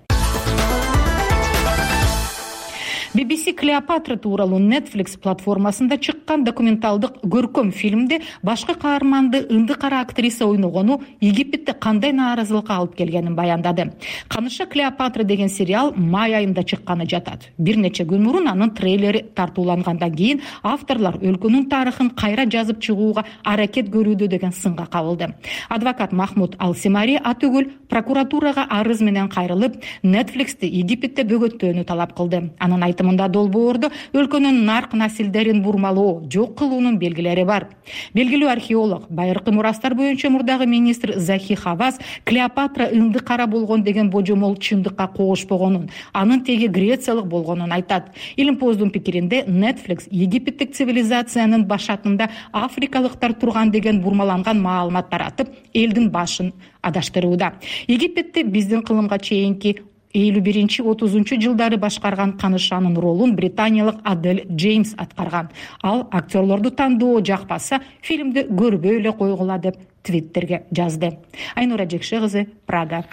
BBC Клеопатра тууралуу Netflix платформасында чыккан документалдык көркөм фильмде башкы каарманды ынды кара актриса ойногону Египетте кандай нааразылыкка алып келгенин баяндады. Каныша Клеопатра деген сериал май айында чыкканы жатат. Бир нече күн мурун анын трейлери тартуулангандан кийин авторлор өлкөнүн тарыхын кайра жазып чыгууга аракет көрүүдө деген сынга кабылды. Адвокат Махмуд Ал-Симари атүгүл прокуратурага арыз менен кайрылып, Netflixти Египетте бөгөттөөнү талап кылды. Анын айтымында мында долбоордо өлкөнүн нарк насилдерин бурмалоо, жок кылуунун белгилери бар. Белгилүү археолог, байыркы мурастар боюнча мурдагы министр Захи Хавас Клеопатра ынды кара болгон деген божомол чындыкка кошпогонун, анын теги грециялык болгонун айтат. Илимпоздун пикиринде Netflix египеттик цивилизациянын башатында африкалыктар турган деген бурмаланган маалымат таратып, элдин башын адаштырууда. Египетте биздин кылымга чейинки 51-30 жылдары башкарган канышанын ролун британиялык Адель Джеймс аткарган. Ал актерлорду тандоо жакпаса, фильмди көрбөй эле койгула деп Твиттерге жазды. Айнура Жекше кызы, Прага.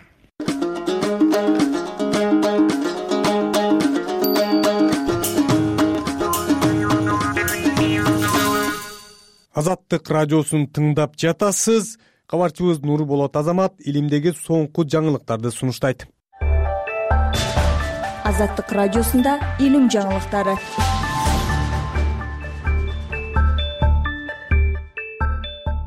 Азаттык радиосун тыңдап жатасыз. Кабарчыбыз Нурболот Азамат илимдеги соңку жаңылыктарды сунуштайт. Азаттык радиосунда илим жаңылыктары.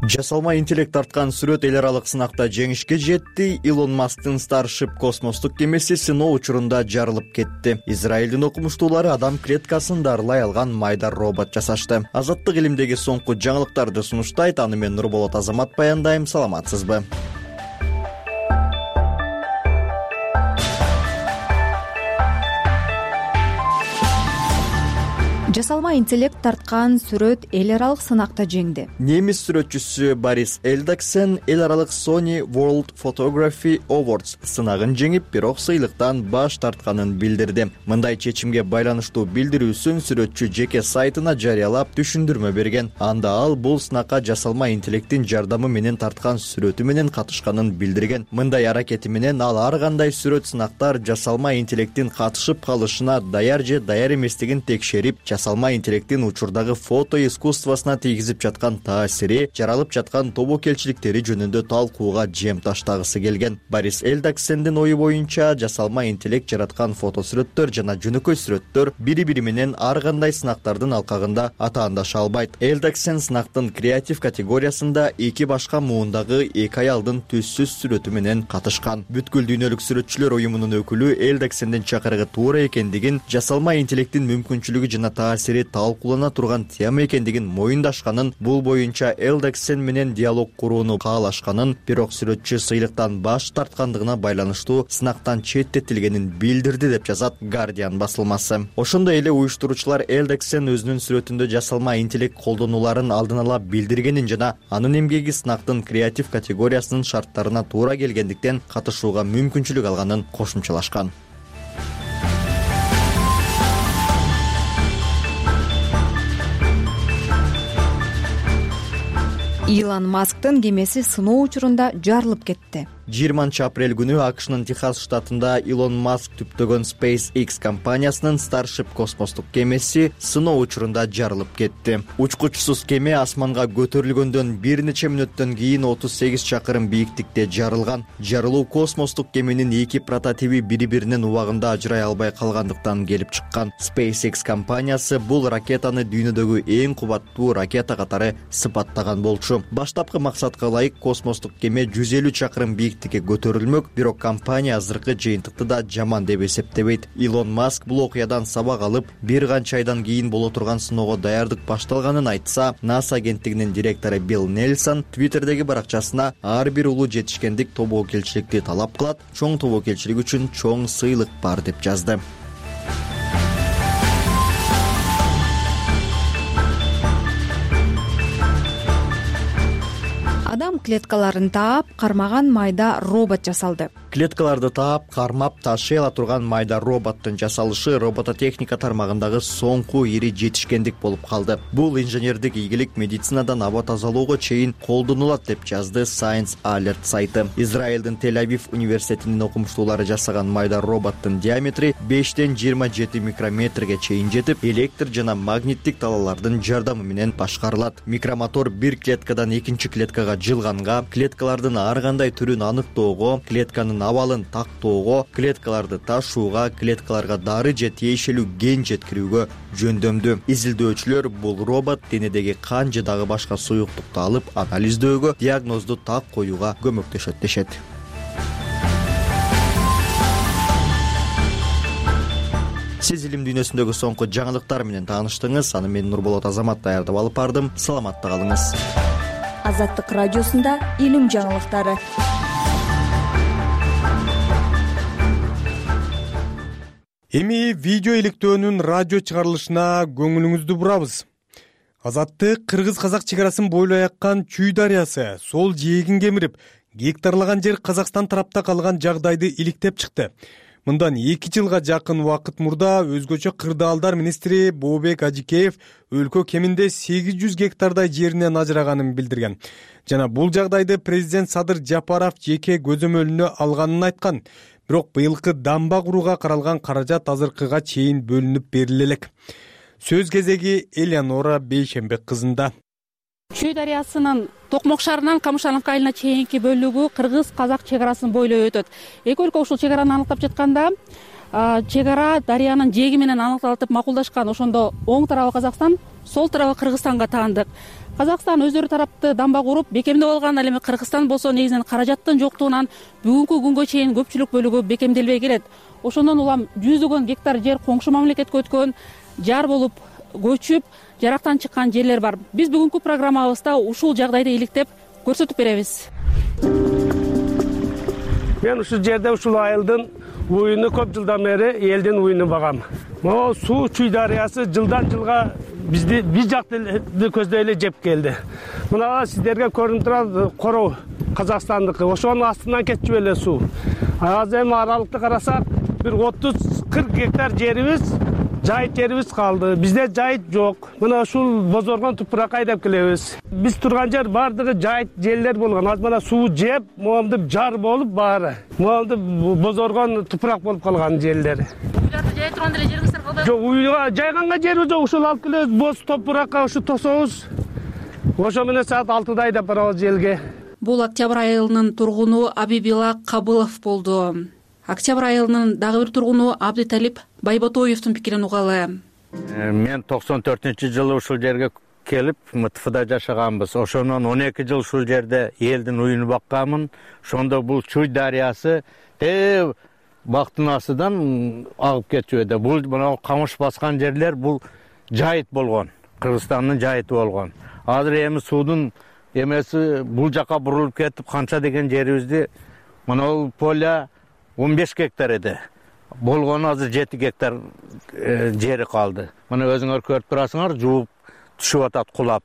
Жасалма интеллект тарткан сүрөт эл аралык сынакта жеңишке жетти. Илон Масктын Starship космостук кемеси сыноо учурунда жарылып кетти. Израилдин окумуштуулары адам клеткасын дарылай алган майда робот жасашты. Азаттык илимдеги соңку жаңылыктарды сунуштайт. Аны мен Нурболот Азамат баяндайм. Саламатсызбы? Жасалма интеллект тарткан сүрөт эл аралык сынакта жеңди. Немис сүрөтчүсү Борис Элдаксен эл аралык Sony World Photography Awards сынагын жеңип, бирок сыйлыктан баш тартканын билдирди. Мындай чечимге байланыштуу билдирүүсүн сүрөтчү жеке сайтына жарыялап түшүндүрмө берген. Анда ал бул сынакка жасалма интеллекттин жардамы менен тарткан сүрөтү менен катышканын билдирген. Мындай аракети менен ал ар кандай сүрөт сынактар жасалма интеллекттин катышып калышына даяр же даяр эместигин текшерип, жасалма интеллекттин учурдагы фото искусствосуна тийгизип жаткан таасири, жаралып жаткан тобокелчиликтери жөнүндө талкууга жем таштагысы келген. Борис Элдаксендин ою боюнча, жасалма интеллект жараткан фотосүрөттөр жана жөнөкөй сүрөттөр бири-бири менен ар кандай сынактардын алкагында атаандаша албайт. Элдаксен сынактын креатив категориясында эки башка муундагы эки аялдын түссүз сүрөтү менен катышкан. Бүткүл дүйнөлүк сүрөтчүлөр уюмунун өкүлү Элдаксендин чакырыгы туура экендигин, жасалма интеллекттин мүмкүнчүлүгү жана таасири талкуулана турган тема экендигин моюндашканын, бул боюнча Элдаксен менен диалог курууну каалашканын, бирок сүрөтчү сыйлыктан баш тарткандыгына байланыштуу сынактан четтетилгенин билдирди деп жазат Guardian басылмасы. Ошондой эле уюштуруучулар Элдаксен өзүнүн сүрөтүндө жасалма интеллект колдонуларын алдын ала билдиргенин жана анын эмгеги сынактын креатив категориясынын шарттарына туура келгендиктен катышууга мүмкүнчүлүк алганын кошумчалашкан. Илон Масктын кемеси сыноо учурунда жарылып кетти. 20-апрель күнү АКШнын Техас штатында Илон Маск түптөгөн SpaceX компаниясынын Starship космостук кемеси сыноо учурунда жарылып кетти. Учкучсуз кеме асманга көтөрүлгөндөн бир нече мүнөттөн кийин 38 чакырым бийиктикте жарылган. Жарылуу космостук кеменин эки прототиби бири-биринин убагында ажырай албай калгандыктан келип чыккан. SpaceX компаниясы бул ракетаны дүйнөдөгү эң кубаттуу ракета катары сыпаттаган болчу. Баштапкы максатка ылайык космостук кеме 150 чакырым бийиктикке көтөрүлмөк, бирок компания азыркы жыйынтыкты да жаман деп эсептебейт. Илон Маск бул окуядан сабак алып, бир канча айдан кийин боло турган сыноого даярдык башталганын айтса, НАСА агенттигинин директору Билл Нельсон Твиттердеги баракчасына ар бир улуу жетишкендик тобокелчиликти талап кылат, чоң тобокелчилик үчүн чоң сыйлык бар деп жазды. Адам клеткаларын таап, кармаган майда робот жасалды. Клеткаларды таап, кармап, ташый ала турган майда роботтун жасалышы робототехника тармагындагы соңку ири жетишкендик болуп калды. Бул инженердик ийгилик медицинадан аба тазалоого чейин колдонулат деп жазды Science Alert сайты. Израилдин Тель-Авив университетинин окумуштуулары жасаган майда роботтун диаметри 5ден 27 микрометрге чейин жетип, электр жана магниттик талаалардын жардамы менен башкарылат. Микромотор бир клеткадан экинчи клеткага жылганга, клеткалардын ар кандай түрүн аныктоого, клетканын абалын тактоого, клеткаларды ташууга, клеткаларга дары же тиешелүү ген жеткирүүгө жөндөмдүү. Изилдөөчүлөр бул робот денедеги кан же дагы башка суюктукту алып анализдөөгө, диагнозду так коюуга көмөктөшөт дешет. Сиз илим дүйнөсүндөгү соңку жаңылыктар менен тааныштыңыз. Аны мен Нурболот Азамат даярдап алып бардым. Саламатта калыңыз. Азаттык радиосунда илим жаңылыктары. Эми видео иликтөөнүн радио чыгарылышына көңүлүңүздү бурабыз. Азаттык кыргыз-казак чегарасын бойлой аккан Чүй дарыясы сол жээгин кемирип, гектарлаган жер Казакстан тарапта калган жагдайды иликтеп чыкты. Мындан 2 жылга жакын убакыт мурда өзгөчө кырдаалдар министри Бообек Ажикеев өлкө кеминде 800 гектардай жеринен ажыраганын билдирген. Жана бул жагдайды президент Садыр Жапаров жеке көзөмөлүнө алганын айткан. Бирок быйылкы дамба курууга каралган каражат азыркыга чейин бөлүнүп бериле элек. Сөз кезеги Элеонора Бейшембек кызында. Чүй дарыясынын Токмок шаарынан Камышановка айылына чейинки бөлүгү кыргыз-казак чегарасын бойлой өтөт. Эки өлкө ушул чегараны аныктап жатканда, чегара дарыянын жээги менен аныкталып макулдашкан. Ошондо оң тарабы Казакстан, сол тарабы Кыргызстанга таандык. Казакстан өздөрү тарапты дамба куруп бекемдеп алган, ал эми Кыргызстан болсо негизинен каражаттын жоктугунан бүгүнкү күнгө чейин көпчүлүк бөлүгү бекемделбей келет. Ошондон улам жүздөгөн гектар жер коңшу мамлекетке өткөн, жар болуп көчүп, жарактан чыккан жерлер бар. Биз бүгүнкү программабызда ушул жагдайды иликтеп көрсөтүп беребиз. Мен ушул жерде ушул айылдын уюну көп жылдан бери элдин уюну багам. Могу суу Чүй дарыясы жылдан жылга бизди биз жакты көздөй эле жеп келди. Мына сиздерге көрүнүп турат короо Казакстандыкы. Ошонун астынан кетчү эле суу. Азыр эми аралыкты карасак, бир 30-40 гектар жерибиз, жайыт жерибиз калды. Бизде жайыт жок. Мына ушул бозоргон тупуракка айдап келебиз. Биз турган жер бардыгы жайыт жерлер болгон. Азыр мына суу жеп, моомдуп жар болуп баары. Моомдуп бозоргон тупурак болуп калган жерлер. Уйларды жай турган деле жериңиздер калды? Жок, уйга жайганга жерибиз жок. Ушул алып келебиз, боз топуракка ушу тособуз. Ошо менен саат 6-да айдап барабыз желге. Бул Октябрь айылынын тургуну Абибила Кабылов болду. Октябрь айылынын дагы бир тургуну Абдыталип Байботоевдун пикирин угалы. Мен 94-жылы ушул жерге келип, МТФда жашаганбыз. Ошондон 12 жыл ушул жерде элдин уюну бакканмын. Ошондо бул Чүй дарыясы бактын астынан агып кетчү эди. Бул мына камыш баскан жерлер бул жайыт болгон. Кыргызстандын жайыты болгон. Азыр эми суудун эмеси бул жака бурулуп кетип, канча деген жерибизди мына поля 15 гектар эди. Болгону азыр 7 гектар жери калды. Мына өзүңөр көрүп турасыңар, жууп түшүп атат кулап.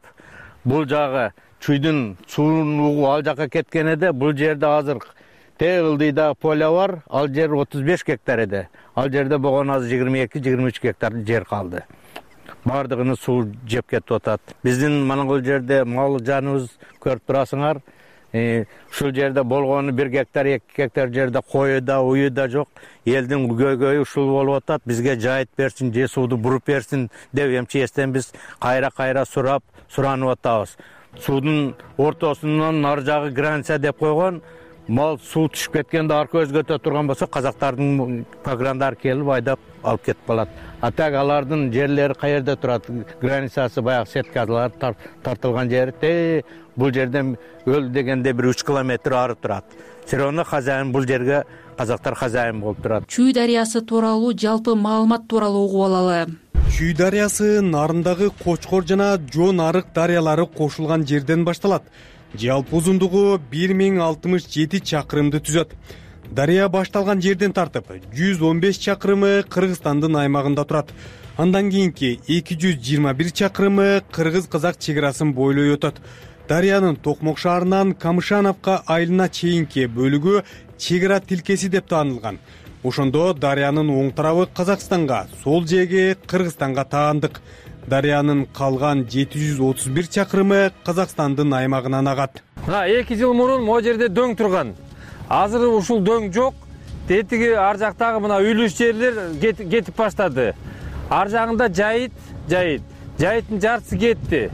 Бул жагы Чүйдүн суунун угу ал жака кеткен эди. Бул жерде азыр ылдыйда поля бар, ал жер 35 гектар эди. Ал жерде болгону азыр 22-23 гектар жер калды. Бардыгыны суу жеп кетип атат. Биздин мына бул жерде мал жаныбыз көрүп турасыңар. Ушул жерде болгону 1 гектар, 2 гектар жерде кою да, уyu да жок. Элдин көйгөйү ушул болуп атат. Бизге жайыт берсин, же сууду буруп берсин деп МЧСтен биз кайра суранып атабыз. Суудун ортосунан ар жагы граница деп койгон. Мал суу түшүп кеткенде арка өзгөтө турган болсо, казактардын пограндар келип айдап алып кетип калат. А так алардын жерлери каерде турат? Границасы баягы сеткалар тартылган жери бул жерден өл дегенде бир 3 километр ары турат. Все равно хозяин бул жерге казактар хозяин болуп турат. Чүй дарыясы тууралуу жалпы маалымат тууралуу угуп алалы. Чүй дарыясы нарындагы Кочкор жана Жон Арык дарыялары кошулган жерден башталат. Жалпы узундугу 1067 чакырымды түзөт. Дарыя башталган жерден тартып 115 чакырымы Кыргызстандын аймагында турат. Андан кийинки 221 чакырымы кыргыз-казак чегарасын бойлой өтөт. Дарыянын Токмок шаарынан Камышановка айылына чейинки бөлүгү чегара тилкеси деп таанылган. Ошондо дарыянын оң тарабы Казакстанга, сол жээги Кыргызстанга таандык. Дарыянын калган 731 чакырымы Казакстандын аймагынан агат. 2 жыл мурун могу жерде дөң турган. Азыр ушул дөң жок. Тетиги ар жактагы мына үйлүш жерлер кетип баштады. Ар жагында жайыт. Жайыттын жартысы кетти.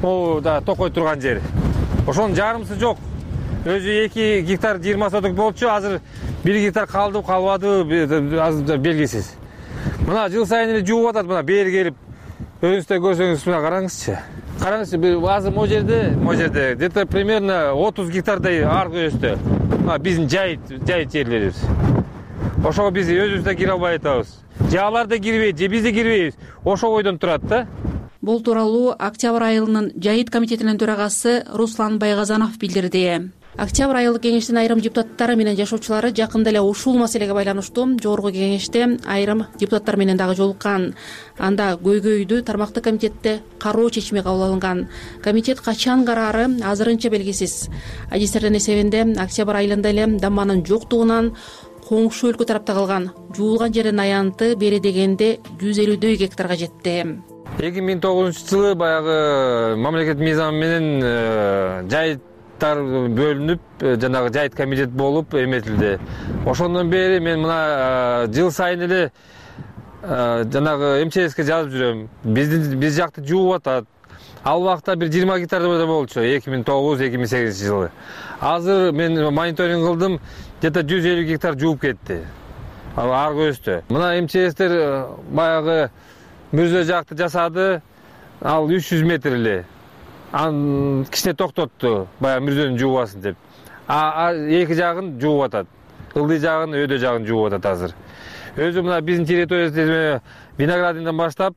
Могу да токой турган жер. Ошонун жарымысы жок. Өзү 2 гектар 20 соток болчу, азыр 1 гектар калды, калбады, азыр белгисиз. Мына жыл сайын эле жууп атат, мына бери келип. Өзүңүздөр көрсөңүз мына караңызчы. Караңызчы, азыр могу жерде где-то примерно 30 гектардай аркы өстү. Биздин жайыт жерлерибиз. Ошого биз өзүбүз да кире албай атабыз. же аларды кирбейт же бизди кирбейбиз, ошол бойдон турат да. Бул тууралуу Октябрь айылынын жайыт комитетинин төрагасы Руслан Байгазанов билдирди. Октябрь айылдык кеңештин айрым депутаттары менен жашоочулары жакында эле ушул маселеге байланыштуу жогорку кеңеште айрым депутаттар менен дагы жолуккан. Анда көйгөйдү тармактык комитетте кароо чечими кабыл алынган. Комитет качан караары азырынча белгисиз. Адистердин эсебинде Октябрь айылында эле дамбанын жоктугунан коңшу өлкө тарапта калган жуулган жердин аянты бери дегенде 150 гектарга жетти. 2009-жылы баягы мамлекет мыйзамы менен жайыттар бөлүнүп, жанагы жайыт комитет болуп эметилди. Ошондон бери мен мына жыл сайын эле жанагы МЧСке жазып жүрөм. Биз жакты жууп атат. Ал убакта бир 20 гектарда болчу 2009-2008 жылы. Азыр мен мониторинг кылдым, где-то 150 гектар жууп кетти. Аргы өстө. Мына МЧСтер баягы мүрзө жакты жасады, ал 300 метр эле. Аны кичине токтотту, баягы мүрзөнүн жуубасын деп. Эки жагын жууп атат. Ылдый жагын, өйдө жагын жууп атат азыр. Өзү мына биздин территориябызда Виноградиндан баштап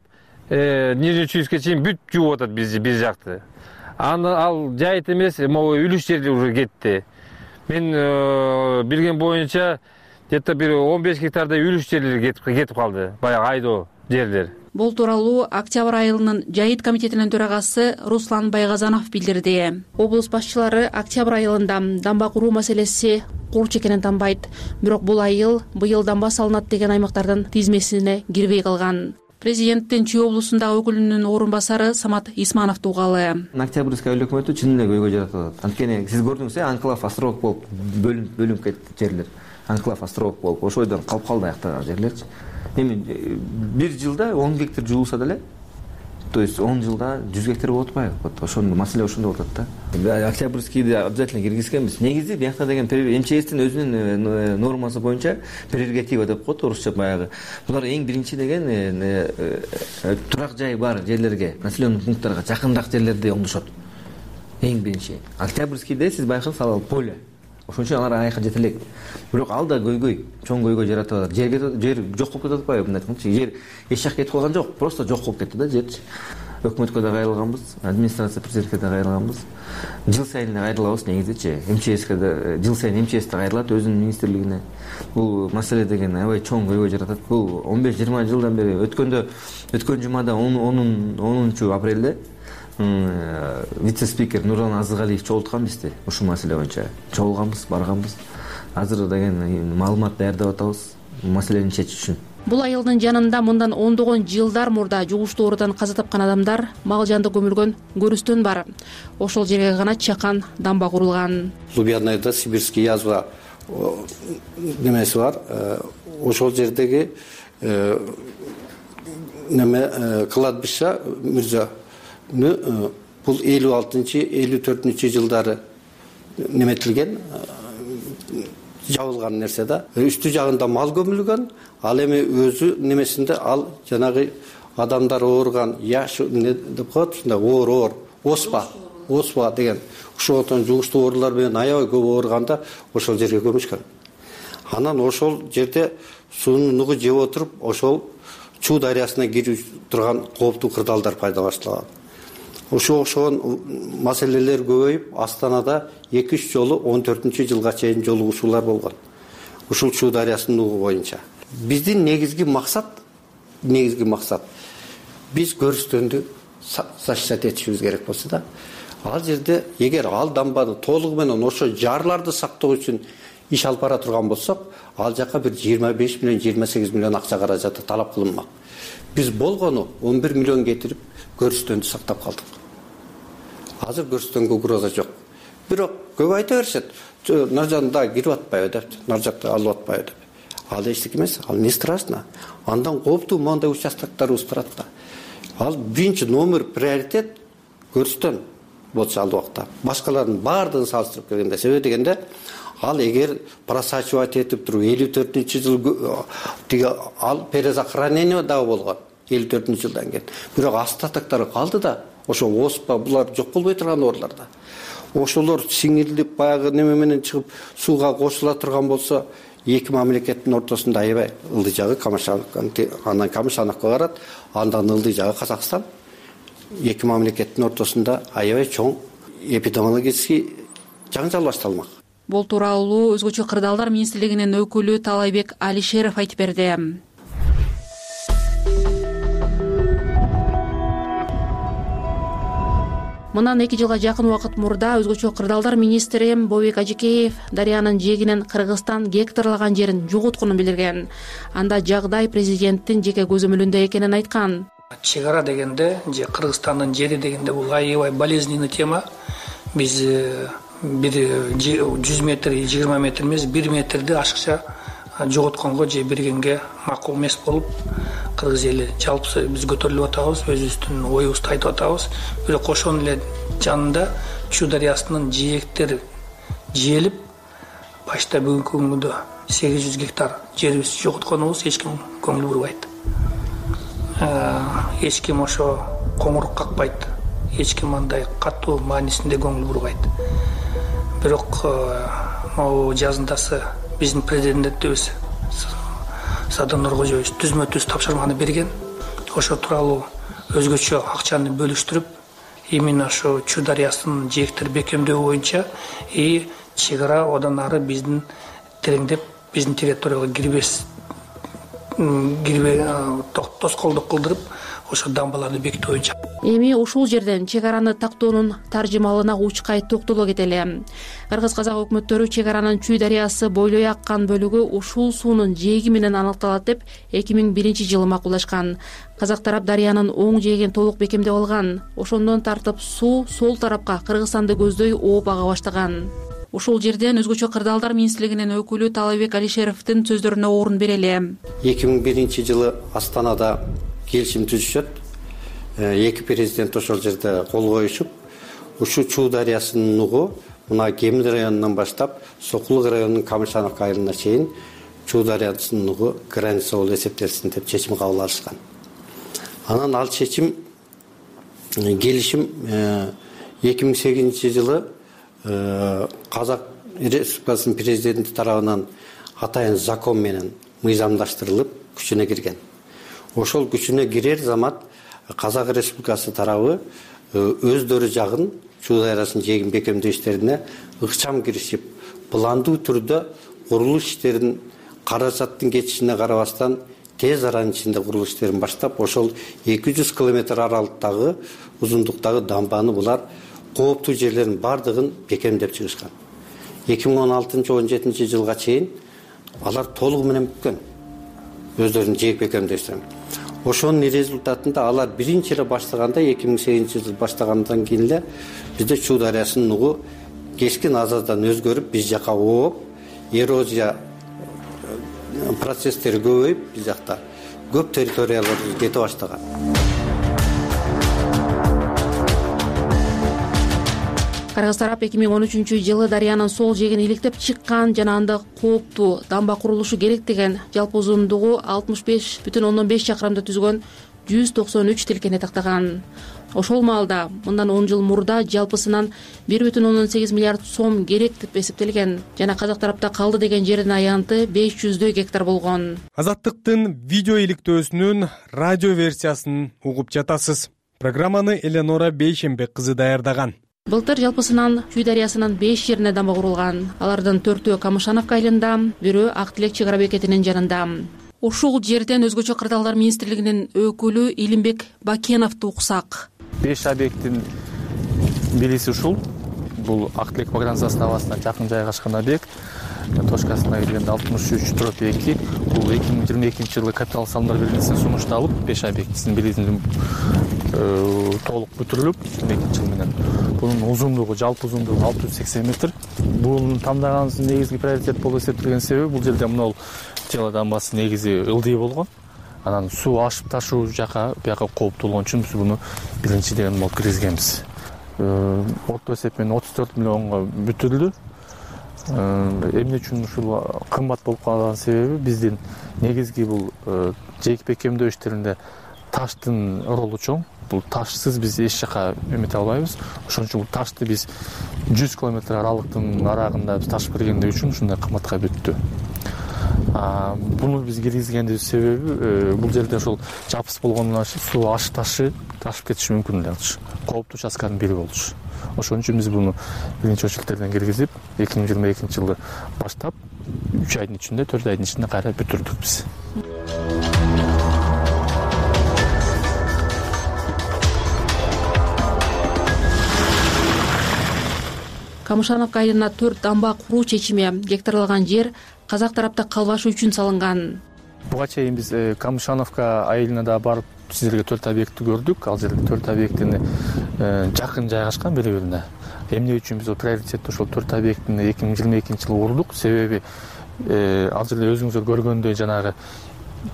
Нижний Чуйскке чейин бүт жууп атат биз жакты. Ал жайыт эмес, могу үлүш жерде уже кетти. Мен билген боюнча где-то бир 15 гектардай үлүш жерлер кетип калды, баягы айдоо жерлер. Бул тууралуу Октябрь айылынын жайыт комитетинин төрагасы Руслан Байгазанов билдирди. Облус башчылары Октябрь айылында дамба куруу маселеси курч экенин танбайт. Бирок бул айыл быйыл дамба салынат деген аймактардын тизмесине кирбей калган. Президенттин Чүй облусундагы өкүлүнүн орун басары Самат Исманов тугалы. Октябрьский айыл өкмөтү чын эле көйгөй жаратат. Анткени сиз көрдүңүз, анклав островок болуп бөлүнүп кетти жерлер. Анклав островок болуп ошол жерден калып калды аяктагы жерлерчи. Эми бир жылда 10 гектар жуулса деле, то есть 10 жылда 100 гектар болуп атпайбы? Вот ошондо маселе ошондо болуп атат да. Октябрьскийди обязательно киргизгенбиз. Негизи биякта деген МЧСтин өзүнүн нормасы боюнча прерогатива деп коет орусча баягы. Булар эң биринчи деген турак жай бар жерлерге, населенный пункттарга жакыныраак жерлерде оңдошот. Эң биринчи. Октябрьскийде сиз байкаңыз ал поле. Ошон үчүн алар айка жете элек. Бирок ал да көйгөй, чоң көйгөй жаратып атат. Жер жок болуп кетип атпайбы мындай айтканда? Жер эч жак кетип калган жок, просто жок болуп кетти да жерчи. Өкмөткө да кайрылганбыз, администрация президентке да кайрылганбыз. Жыл сайын эле кайрылабыз негизичи. МЧСке да жыл сайын МЧС да кайрылат өзүнүн министрлигине. Бул маселе деген аябай чоң көйгөй жаратат. Бул 15-20 жылдан бери өткөн жумада 10 апрелде вице-спикер Нурлан Азыгалиев чогулткан бизди ушул маселе боюнча. Чогулганбыз, барганбыз. Азыр деген маалымат даярдап атабыз маселени чечиш үчүн. Бул айылдын жанында мындан ондогон жылдар мурда жугуштуу оорудан каза тапкан адамдар мал жанды көмүлгөн көрүстөн бар. Ошол жерге гана чакан дамба курулган. Лубянайда сибирский язва немеси бар. Ошол жердеги кладбище мырза бул 56-54 жылдары неметилген, жабылган нерсе да. Үстү жагында мал көмүлгөн, ал эми өзү немесинде ал жанагы адамдар ооруган яш не деп коет, ушундай оор, оспа деген ошондон жугуштуу оорулар менен аябай көп ооруганда ошол жерге көмүшкөн. Анан ошол жерде суунун нугу жеп отуруп, ошол Чуу дарыясына кирип турган кооптуу кырдаалдар пайда башталган. Ошол маселелер көбөйүп, Астанада 2-3 жолу 14-жылга чейин жолугушуулар болгон. Ушул Чуу дарыясынын нугу боюнча. Биздин негизги максат биз көрүстөндү защищать этишибиз керек болсо да. Ал жерде эгер ал дамбаны толугу менен ошо жарларды сактоо үчүн иш алып бара турган болсок, ал жака бир 25 миллион, 28 миллион акча каражаты талап кылынмак. Биз болгону 11 миллион кетирип көрүстөндү сактап калдык. Азыр көрүстөнгө угроза жок. Бирок көп айта беришет, наржанда кирип атпайбы деп, наржакта алып атпайбы деп. Ал эчтеке эмес, ал не страшно. Андан кооптуу моундай участоктор турат да. Ал биринчи номер приоритет көрүстөн болчу ал убакта. Башкалардын баардыгын салыштырып келгенде, себеби дегенде ал эгер просачивать этип туруп 54-жыл тиги ал перезахоронение дагы болгон 54-жылдан кийин. Бирок остатоктор калды да. Ошо оспа булар жок болбой турган ооруларда. Ошолор сиңирилип баягы неме менен чыгып сууга кошула турган болсо, эки мамлекеттин ортосунда аябай ылдый жагы анан Камышановго барат, андан ылдый жагы Казакстан. Эки мамлекеттин ортосунда аябай чоң эпидемиологический жаңжал башталмак. Бул тууралуу Өзгөчө кырдаалдар министрлигинин өкүлү Талайбек Алишеров айтып берди. Мындан 2 жылга жакын убакыт мурда Өзгөчө кырдаалдар министри Бообек Ажикеев дарыянын жээгинен Кыргызстан гектарлаган жерин жоготконун билдирген. Анда жагдай президенттин жеке көзөмөлүндө экенин айткан. Чегара дегенде же Кыргызстандын жери дегенде бул аябай болезненный тема. Биз 100 метр, 20 метр эмес, 1 метрди ашыкча жоготконго же бергенге макул эмес болуп, кыргыз эли жалпы биз көтөрүлүп атабыз, өзүбүздүн оюбузду айтып атабыз. Бирок ошонун эле жанында Чүй дарыясынын жээктери жээлип, башта бүгүнкү күндө 800 гектар жерибизди жоготконубуз эч ким көңүл бурбайт. Эч ким ошо коңурук какпайт, эч ким андай катуу маанисинде көңүл бурбайт. Бирок могу жазындасы биздин президентибиз Садыр Нуркожоевич түзмө-түз тапшырманы берген. Ошо тууралуу өзгөчө акчаны бөлүштүрүп, именно ошо Чүй дарыясынын жээктери бекемдөө боюнча чегара одан ары биздин тереңдеп, биздин территорияга тоскоолдук кылдырып, ошо дамбаларды бекитүү боюнча. Эми ушул жерден чек араны тактоонун таржымалына учкай токтоло кетели. Кыргыз-казак өкмөттөрү чек аранын Чүй дарыясы бойлой аккан бөлүгү ушул суунун жээги менен аныкталат деп 2001-жылы макулдашкан. Казак тарап дарыянын оң жээгин толук бекемдеп алган. Ошондон тартып суу сол тарапка Кыргызстанды көздөй ооп ага баштаган. Ушул жерден Өзгөчө кырдаалдар министрлигинин өкүлү Талайбек Алишеровдун сөздөрүнө орун берели. 2001-жылы Астанада келишим түзүшөт. Эки президент ошол жерде кол коюшуп, ушу Чүй дарыясынын нугу мына Кемир районунан баштап Сокулук районунун Камышановка айылына чейин Чүй дарыясынын нугу граница болуп эсептелсин деп чечим кабыл алышкан. Анан ал чечим келишим 2008-жылы Казак Республикасынын президенти тарабынан атайын закон менен мыйзамдаштырылып күчүнө кирген. Ошол күчүнө кирер замат Казак Республикасы тарабы өздөрү жагын Чүй дарыясынын жээгин бекемдөө иштерине ыкчам киришип, пландуу түрдө курулуш иштерин каражаттын кетишине карабастан тез аранын ичинде курулуш иштерин баштап, ошол 200 км аралыктагы узундуктагы дамбаны булар кооптуу жерлердин бардыгын бекемдеп чыгышкан. 2016-17 чейин алар толугу менен бүткөн өздөрүнүн жээг бекемдөө иштерин. Ошонун результатында алар биринчи эле баштаганда 2008-жылы баштагандан кийин эле бизде Чүй дарыясынын нугу кескин азаздан өзгөрүп, биз жака ооп, эрозия процесстери көбөйүп, биз жакта көп территориялар кете баштаган. Кыргыз тарап 2013-жылы дарыянын сол жээгин иликтеп чыккан жана анда кооптуу дамба курулушу керек деген жалпы узундугу 65,5 чакырымды түзгөн 193 тилкени тактаган. Ошол маалда мындан 10 жыл мурда жалпысынан 1,8 миллиард сом керек деп эсептелген жана казак тарапта калды деген жердин аянты 500 гектар болгон. Азаттыктын видео иликтөөсүнүн радио версиясын угуп жатасыз. Программаны Эленора Бейшембек кызы даярдаган. Былтыр жалпысынан Чүй дарыясынын 5 жерине дамба курулган. Алардын 4-өө Камышановка айылында, бирөө Ак Тилек чек ара бекетинин жанында. Ушул жерден Өзгөчө кырдаалдар министрлигинин өкүлү Илимбек Бакеновду уксак. 5 объекттин бириси ушул. Бул Ак Тилек багран заставасына жакын жайгашкан объект. Точкасына келгенде 63/2. Бул 2022-жылы капитал салымдар биринчисин сунушталып, 5 объектисин билизин толук бүтүрүлүп, 2022-жыл менен. Бунун узундугу, жалпы узундугу 680 метр. Бунун тандагансынын негизги приоритет болуп эсептелген себеби бул жерде мынол жела дамбасы негизи ылдый болгон. Анан суу ашып ташуу жака бияка кооптуу болгон үчүн биз буну биринчиден болуп киргизгенбиз. Орто эсеп менен 34 миллионго бүтүрүлдү. Эмне үчүн ушул кымбат болуп калган себеби биздин негизги бул жээг бекемдөө иштеринде таштын ролу чоң. Бул ташсыз биз эч жака эмете албайбыз. Ошон үчүн бул ташты биз 100 км аралыктын арагында биз таш бергендиги үчүн ушундай кымбатка бүттү. Буну биз киргизгендин себеби бул жерде ошол жапыс болгондон суу ташып кетиши мүмкүн эле болчу. Кооптуу участканын бири болчу. Ошон үчүн биз буну биринчи очередтерден киргизип 2022 жылы баштап 3 айдын ичинде 4 айдын ичинде кайра бүтүрдүк биз. Камышановка айылына 4 дамба куруу чечими гектарлаган жер казак тарапта калбашы үчүн салынган. Буга чейин биз Камышановка айылына да барып сиздерге 4 объектти көрдүк. Ал жерде 4 объектини жакын жайгашкан бири-бирине. Эмне үчүн биз приоритетти ошол 4 объектини 2022 жылы урдук? Себеби ал жерде өзүңүздөр көргөндөй жанагы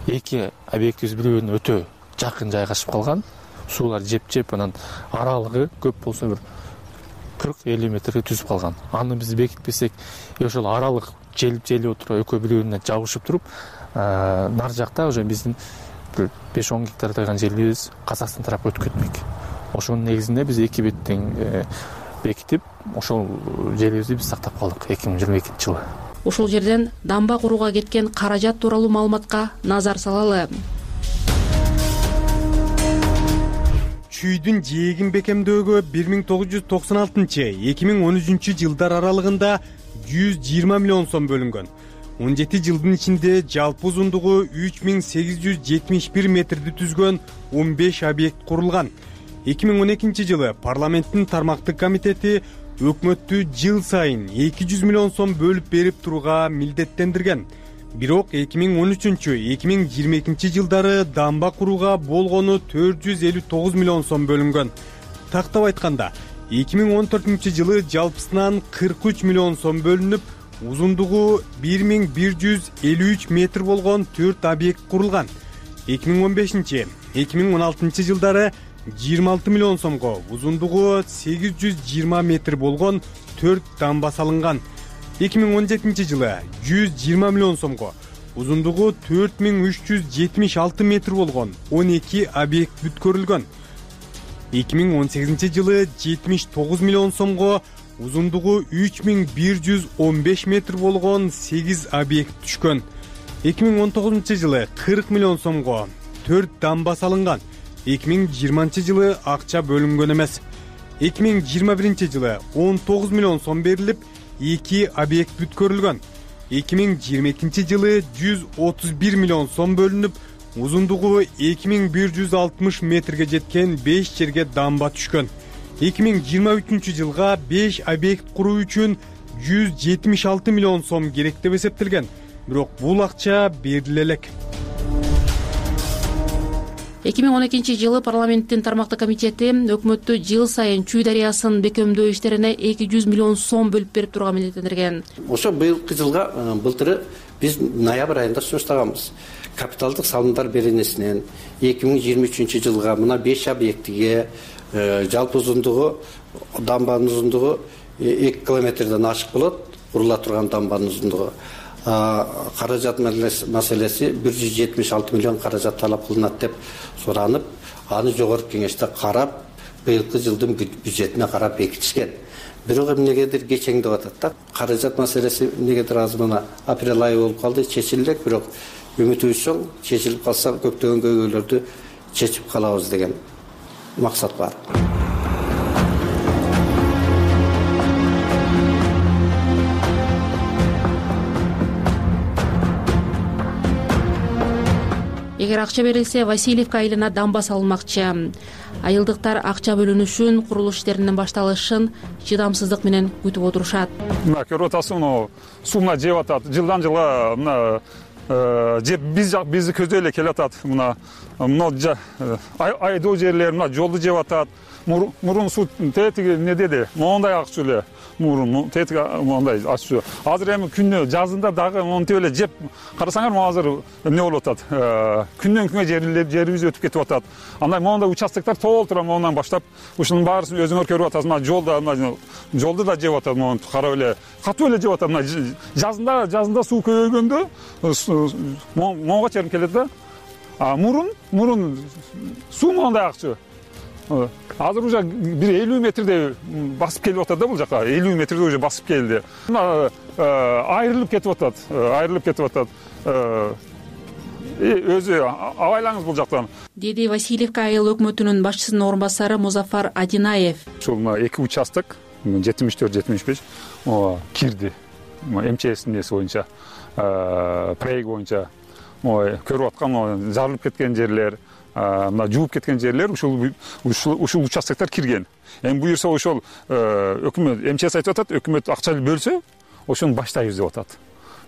2 объектибиз бири-бирине өтө жакын жайгашып калган. Суулар жеп, анан аралыгы көп болсо бир 40-50 метрге түзүп калган. Аны биз бекитпесек, ошол аралык желип отуруп, экөө бири-бирине жабышып туруп, нар жакта уже биздин 5-10 гектар тайган жерибиз Казакстан тарапка өтүп кетмек. Ошонун негизинде биз 2 беттен бекитип, ошол жерибизди биз сактап калдык 2022 жылы. Ошол жерден дамба курууга кеткен каражат тууралуу маалыматка назар салалы. Чүйдүн жээгин бекемдөөгө 1996-2013 жылдар аралыгында 120 миллион сом бөлүнгөн. 17 жылдын ичинде жалпы узундугу 3871 метрди түзгөн 15 объект курулган. 2012 жылы парламенттин тармактык комитети өкмөттү жыл сайын 200 миллион сом бөлүп берип турууга милдеттендирген. Бирок 2013-2022 жылдары дамба курууга болгону 459 миллион сом бөлүнгөн. Тактап айтканда, 2014 жылы жалпысынан 43 миллион сом бөлүнүп, узундугу 1153 метр болгон 4 объект курулган. 2015-2016 жылдары 26 миллион сомго узундугу 820 метр болгон 4 дамба салынган. 2017 жылы 120 миллион сомго узундугу 4376 метр болгон 12 объект бүткөрүлгөн. 2018 жылы 79 миллион сомго узундугу 3115 метр болгон 8 объект түшкөн. 2019 жылы 40 миллион сомго 4 дамба салынган. 2020 жылы акча бөлүнгөн эмес. 2021 жылы 19 миллион сом берилип, 2 объект бүткөрүлгөн. 2022 жылы 131 миллион сом бөлүнүп, узундугу 2160 метрге жеткен 5 жерге дамба түшкөн. 2023 жылга 5 объект куруу үчүн 176 миллион сом керек деп эсептелген. Бирок бул акча бериле элек. 2012 жылы парламенттин тармактык комитети өкмөттү жыл сайын Чүй дарыясын бекемдөө иштерине 200 миллион сом бөлүп берип турууга милдеттендирген. Ошо быйылкы жылга былтыры биз ноябрь айында сунуштаганбыз. Капиталдык салымдар беренесинен 2023 жылга мына 5 объектиге жалпы узундугу, дамбанын узундугу 2 километрден ашык болот, курула турган дамбанын узундугу. Каражат маселеси 176 миллион каражат талап кылынат деп суранып, аны жогорку кеңеште карап, быйылкы жылдын бюджетине карап бекитишкен. Бирок эмнегедир кечеңдеп атат да. Каражат маселеси эмнегедир азыр мына апрель айы болуп калды, чечилек, бирок үмүтүбүз чоң, чечилип калса көптөгөн көйгөйлөрдү чечип калабыз деген максат бар. Эгер акча берилсе, Васильевка айылына дамба салынмакчы. Айылдыктар акча бөлүнүшүн, курулуш иштеринин башталышын чыдамсыздык менен күтүп отурушат. Мына көрүп атасың, сууна жеп атат. Жылдан жылга мына бизди көздөй эле келе атат. Мына айдоо жерлер, мына жолду жеп атат. Мурун суу тетиги эмне деди? Мондай акчу эле. Мурун тетиги мондай акчу. Азыр эми күнү жазында дагы монтип эле жеп карасаңар, могу азыр эмне болуп атат? Күндөн күнгө жерибиз өтүп кетип атат. Андай мондай участоктор толтура мондан баштап, ушунун баарысын өзүңөр көрүп атасыңар. Жолду да жеп атат, монтип карап эле. Катуу эле жеп атат. Мына жазында суу көбөйгөндө монго чейин келет да. Мурун суу мондай акчу. Азыр уже бир 50 метрдей басып келип атат да бул жака. 50 метрдей уже басып келди. Айрылып кетип атат. Өзү абайлаңыз бул жактан. Деди Васильевка айыл өкмөтүнүн башчысынын орун басары Музафар Адинаев. Ушул 2 участок 74-75 кирди. МЧСтин эси боюнча, проект боюнча көрүп аткан жарылып кеткен жерлер, мына жууп кеткен жерлер ушул участоктор кирген. Эми буюрса ошол өкмөт МЧС айтып атат, өкмөт акча бөлсө, ошону баштайбыз деп атат.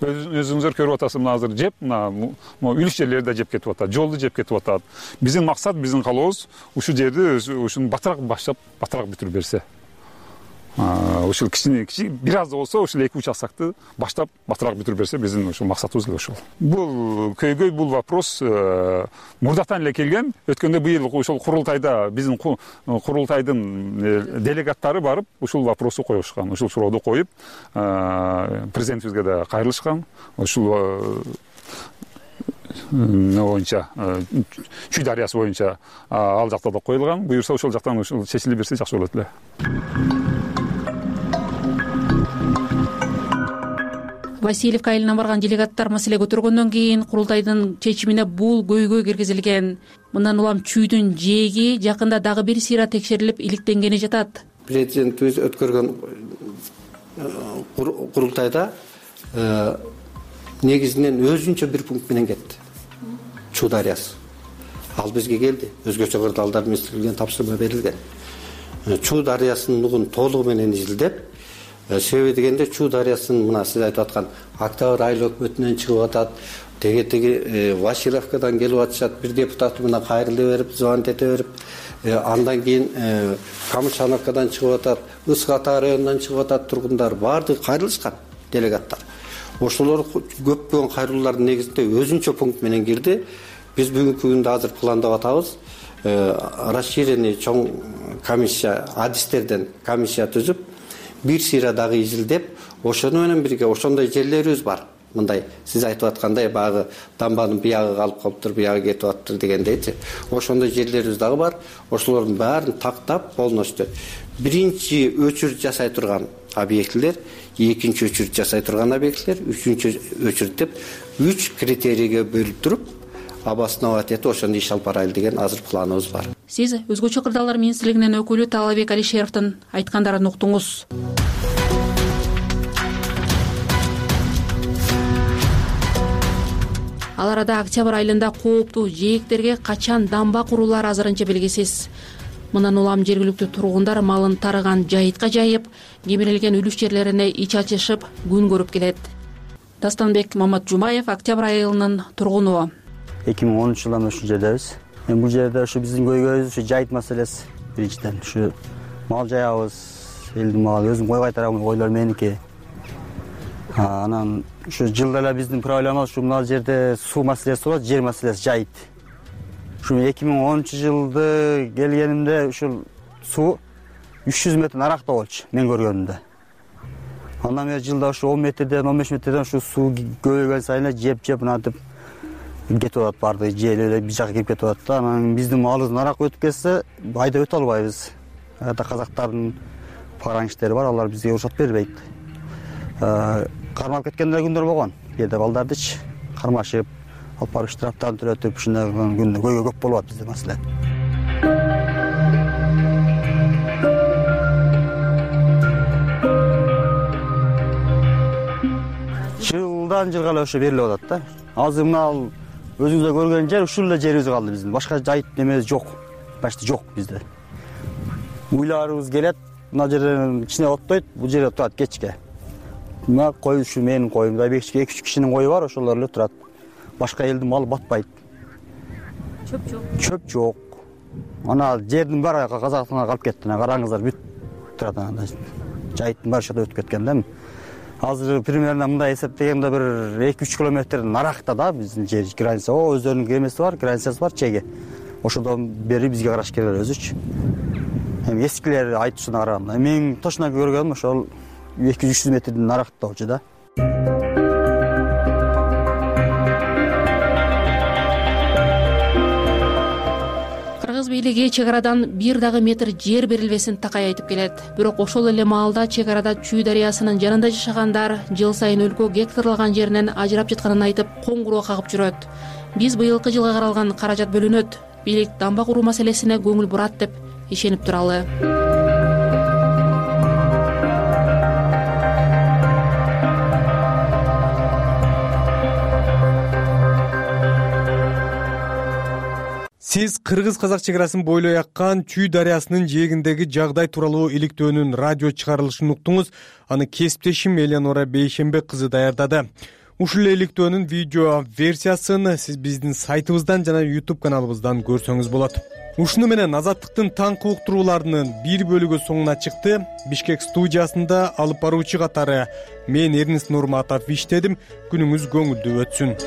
Өзүңүздөр көрүп атасыз, мына азыр жеп, мына үлүш жерлерди да жеп кетип атат, жолду жеп кетип атат. Биздин максат, биздин каалообуз ушул жерди ушуну батыраак баштап, батыраак бүтүрүп берсе. Ушул кичине бир аз да болсо ушул 2 участокты баштап батыраак бүтүрүп берсе, биздин ушул максатыбыз эле ошол. Бул көйгөй, бул вопрос мурдатан эле келген. Өткөндө быйыл ошол курултайда биздин курултайдын делегаттары барып, ушул вопросту коюшкан. Ушул сурооду коюп, президентибизге да кайрылышкан. Ушул боюнча, Чүй дарыясы боюнча ал жакта да коюлган. Буюрса ошол жактан ушул чечилип берсе жакшы болот эле. Васильевка айылына барган делегаттар маселе көтөргөндөн кийин курултайдын чечимине бул көйгөй киргизилген. Мындан улам чүйдүн жээги жакында дагы бир сыйра текшерилип иликтенгени жатат. Президентибиз өткөргөн курултайда негизинен өзүнчө бир пункт менен кетти. Чүй дарыясы. Ал бизге келди. Өзгөчө кырдаалдар министрлигинен тапшырма берилген. Чүй дарыясынын нугун толугу менен изилдеп, себеби дегенде Чүй дарыясынын мына сиз айтып аткан Октябрь айыл өкмөтүнөн чыгып атат, теги Васильевкадан келип атышат, бир депутат мына кайрылы берип, звонить эте берип, андан кийин Камышановкадан чыгып атат, Ысык Ата районунан чыгып атат тургундар, баардыгы кайрылышкан делегаттар. Ошолор көптөгөн кайрылуулардын негизинде өзүнчө пункт менен кирди. Биз бүгүнкү күндө азыр пландап атабыз. Расширенный чоң комиссия, адистерден комиссия түзүп, бир сыйра дагы изилдеп, ошону менен бирге ошондой жерлерибиз бар. Мындай сиз айтып аткандай багы дамбанын биягы калып калыптыр, биягы кетип атыптыр дегендейчи. Ошондой жерлерибиз дагы бар. Ошолордун баарын тактап, полностью биринчи өчүрт жасай турган объектилер, экинчи өчүрт жасай турган объектилер, үчүнчү өчүрт деп 3 критерийге бөлүп туруп, обосновать этип ошондо иш алып барайлы деген азыр планыбыз бар. Сиз Өзгөчө кырдаалдар министрлигинин өкүлү Талабек Алишеровдун айткандарын уктуңуз. Ал арада октябрь айылында кооптуу жээктерге качан дамба курулары азырынча белгисиз. Мындан улам жергиликтүү тургундар малын тарыган жайытка жайып, кемирилген үлүш жерлерине ич ачышып, күн көрүп келет. Дастанбек Маматжумаев октябрь айылынын тургуну. 2013 жылдан ушул жердебиз. Бул жерде ушу биздин көйгөйүбүз ушу жайыт маселеси. Биринчиден ушу мал жаябыз, элдин малы, өзүм кой кайтарам, койлор меники. Анан ушу жылда эле биздин проблема ушу мына жерде суу маселеси болот, жер маселеси жайыт. Ушу 2013 жылды келгенимде ушул суу 300 метр наракта болчу, мен көргөнүмдө. Андан бери жылда ушу 10 метрден, 15 метрден ушу суу көбөйгөн сайын жеп мынантип кетип атат, баардыгы жээле бир жака кирип кетип атат да. Анан биздин малыбыз нарак өтүп кетсе, айдап өтө албайбыз. Ата казактардын параңиштери бар, алар бизге уруксат бербейт. Кармап кеткендер күндөр болгон. Кээде балдардычы кармашып, алып барып штрафтарын төлөтүп, ушундай күндө көйгөй көп болуп атат бизде маселе. Жылдан жылга эле ошо берилип атат да. Азыр мына өзүңүздөр көргөн жер ушул эле жерибиз калды биздин. Башка жайыт немебиз жок. Башта жок бизде. Уйларыбыз келет, мына жерден кичине оттойт, бул жерде турат кечке. Мына кой ушу менин коюм, 2-3 кишинин кою бар, ошолор эле турат. Башка элдин малы батпайт. Чөп жок. Чөп жок. Ана жердин баары казактына калып кетти. Караңыздар бүт турат анда. Жайыттын баары ошол өтүп кеткен да. Азыр примерно мындай эсептегенде бир 2-3 километр наракта да биздин жер граница. Өздөрүнүн кемеси бар, границасы бар, чеги. Ошодон бери бизге караш келет өзүчү. Эми эскилер айтышына караганда, мен точно көргөнүм ошол 200-300 метрдин наракта болчу да. бийлиги чек арадан бир дагы метр жер берилбесин такай айтып келет. Бирок ошол эле маалда чек арада Чүй дарыясынын жанында жашагандар жыл сайын өлкө гектарланган жеринен ажырап жатканын айтып коңгуроо кагып жүрөт. Биз быйылкы жылга каралган каражат бөлүнөт, бийлик дамба куруу маселесине көңүл бурат деп ишенип туралы. Сиз кыргыз-казак чек арасын бойлой аккан Чүй дарыясынын жээгиндеги жагдай тууралуу иликтөөнүн радио чыгарылышын уктуңуз. Аны кесиптешим Элеонора Бейшембек кызы даярдады. Ушул иликтөөнүн видео версиясын сиз биздин сайтыбыздан жана YouTube каналыбыздан көрсөңүз болот. Ушуну менен Азаттыктын таңкы уктурууларынын бир бөлүгү соңуна чыкты. Бишкек студиясында алып баруучу катары мен Эрнест Нурматов иштедим. Күнүңүз көңүлдүү өтсүн.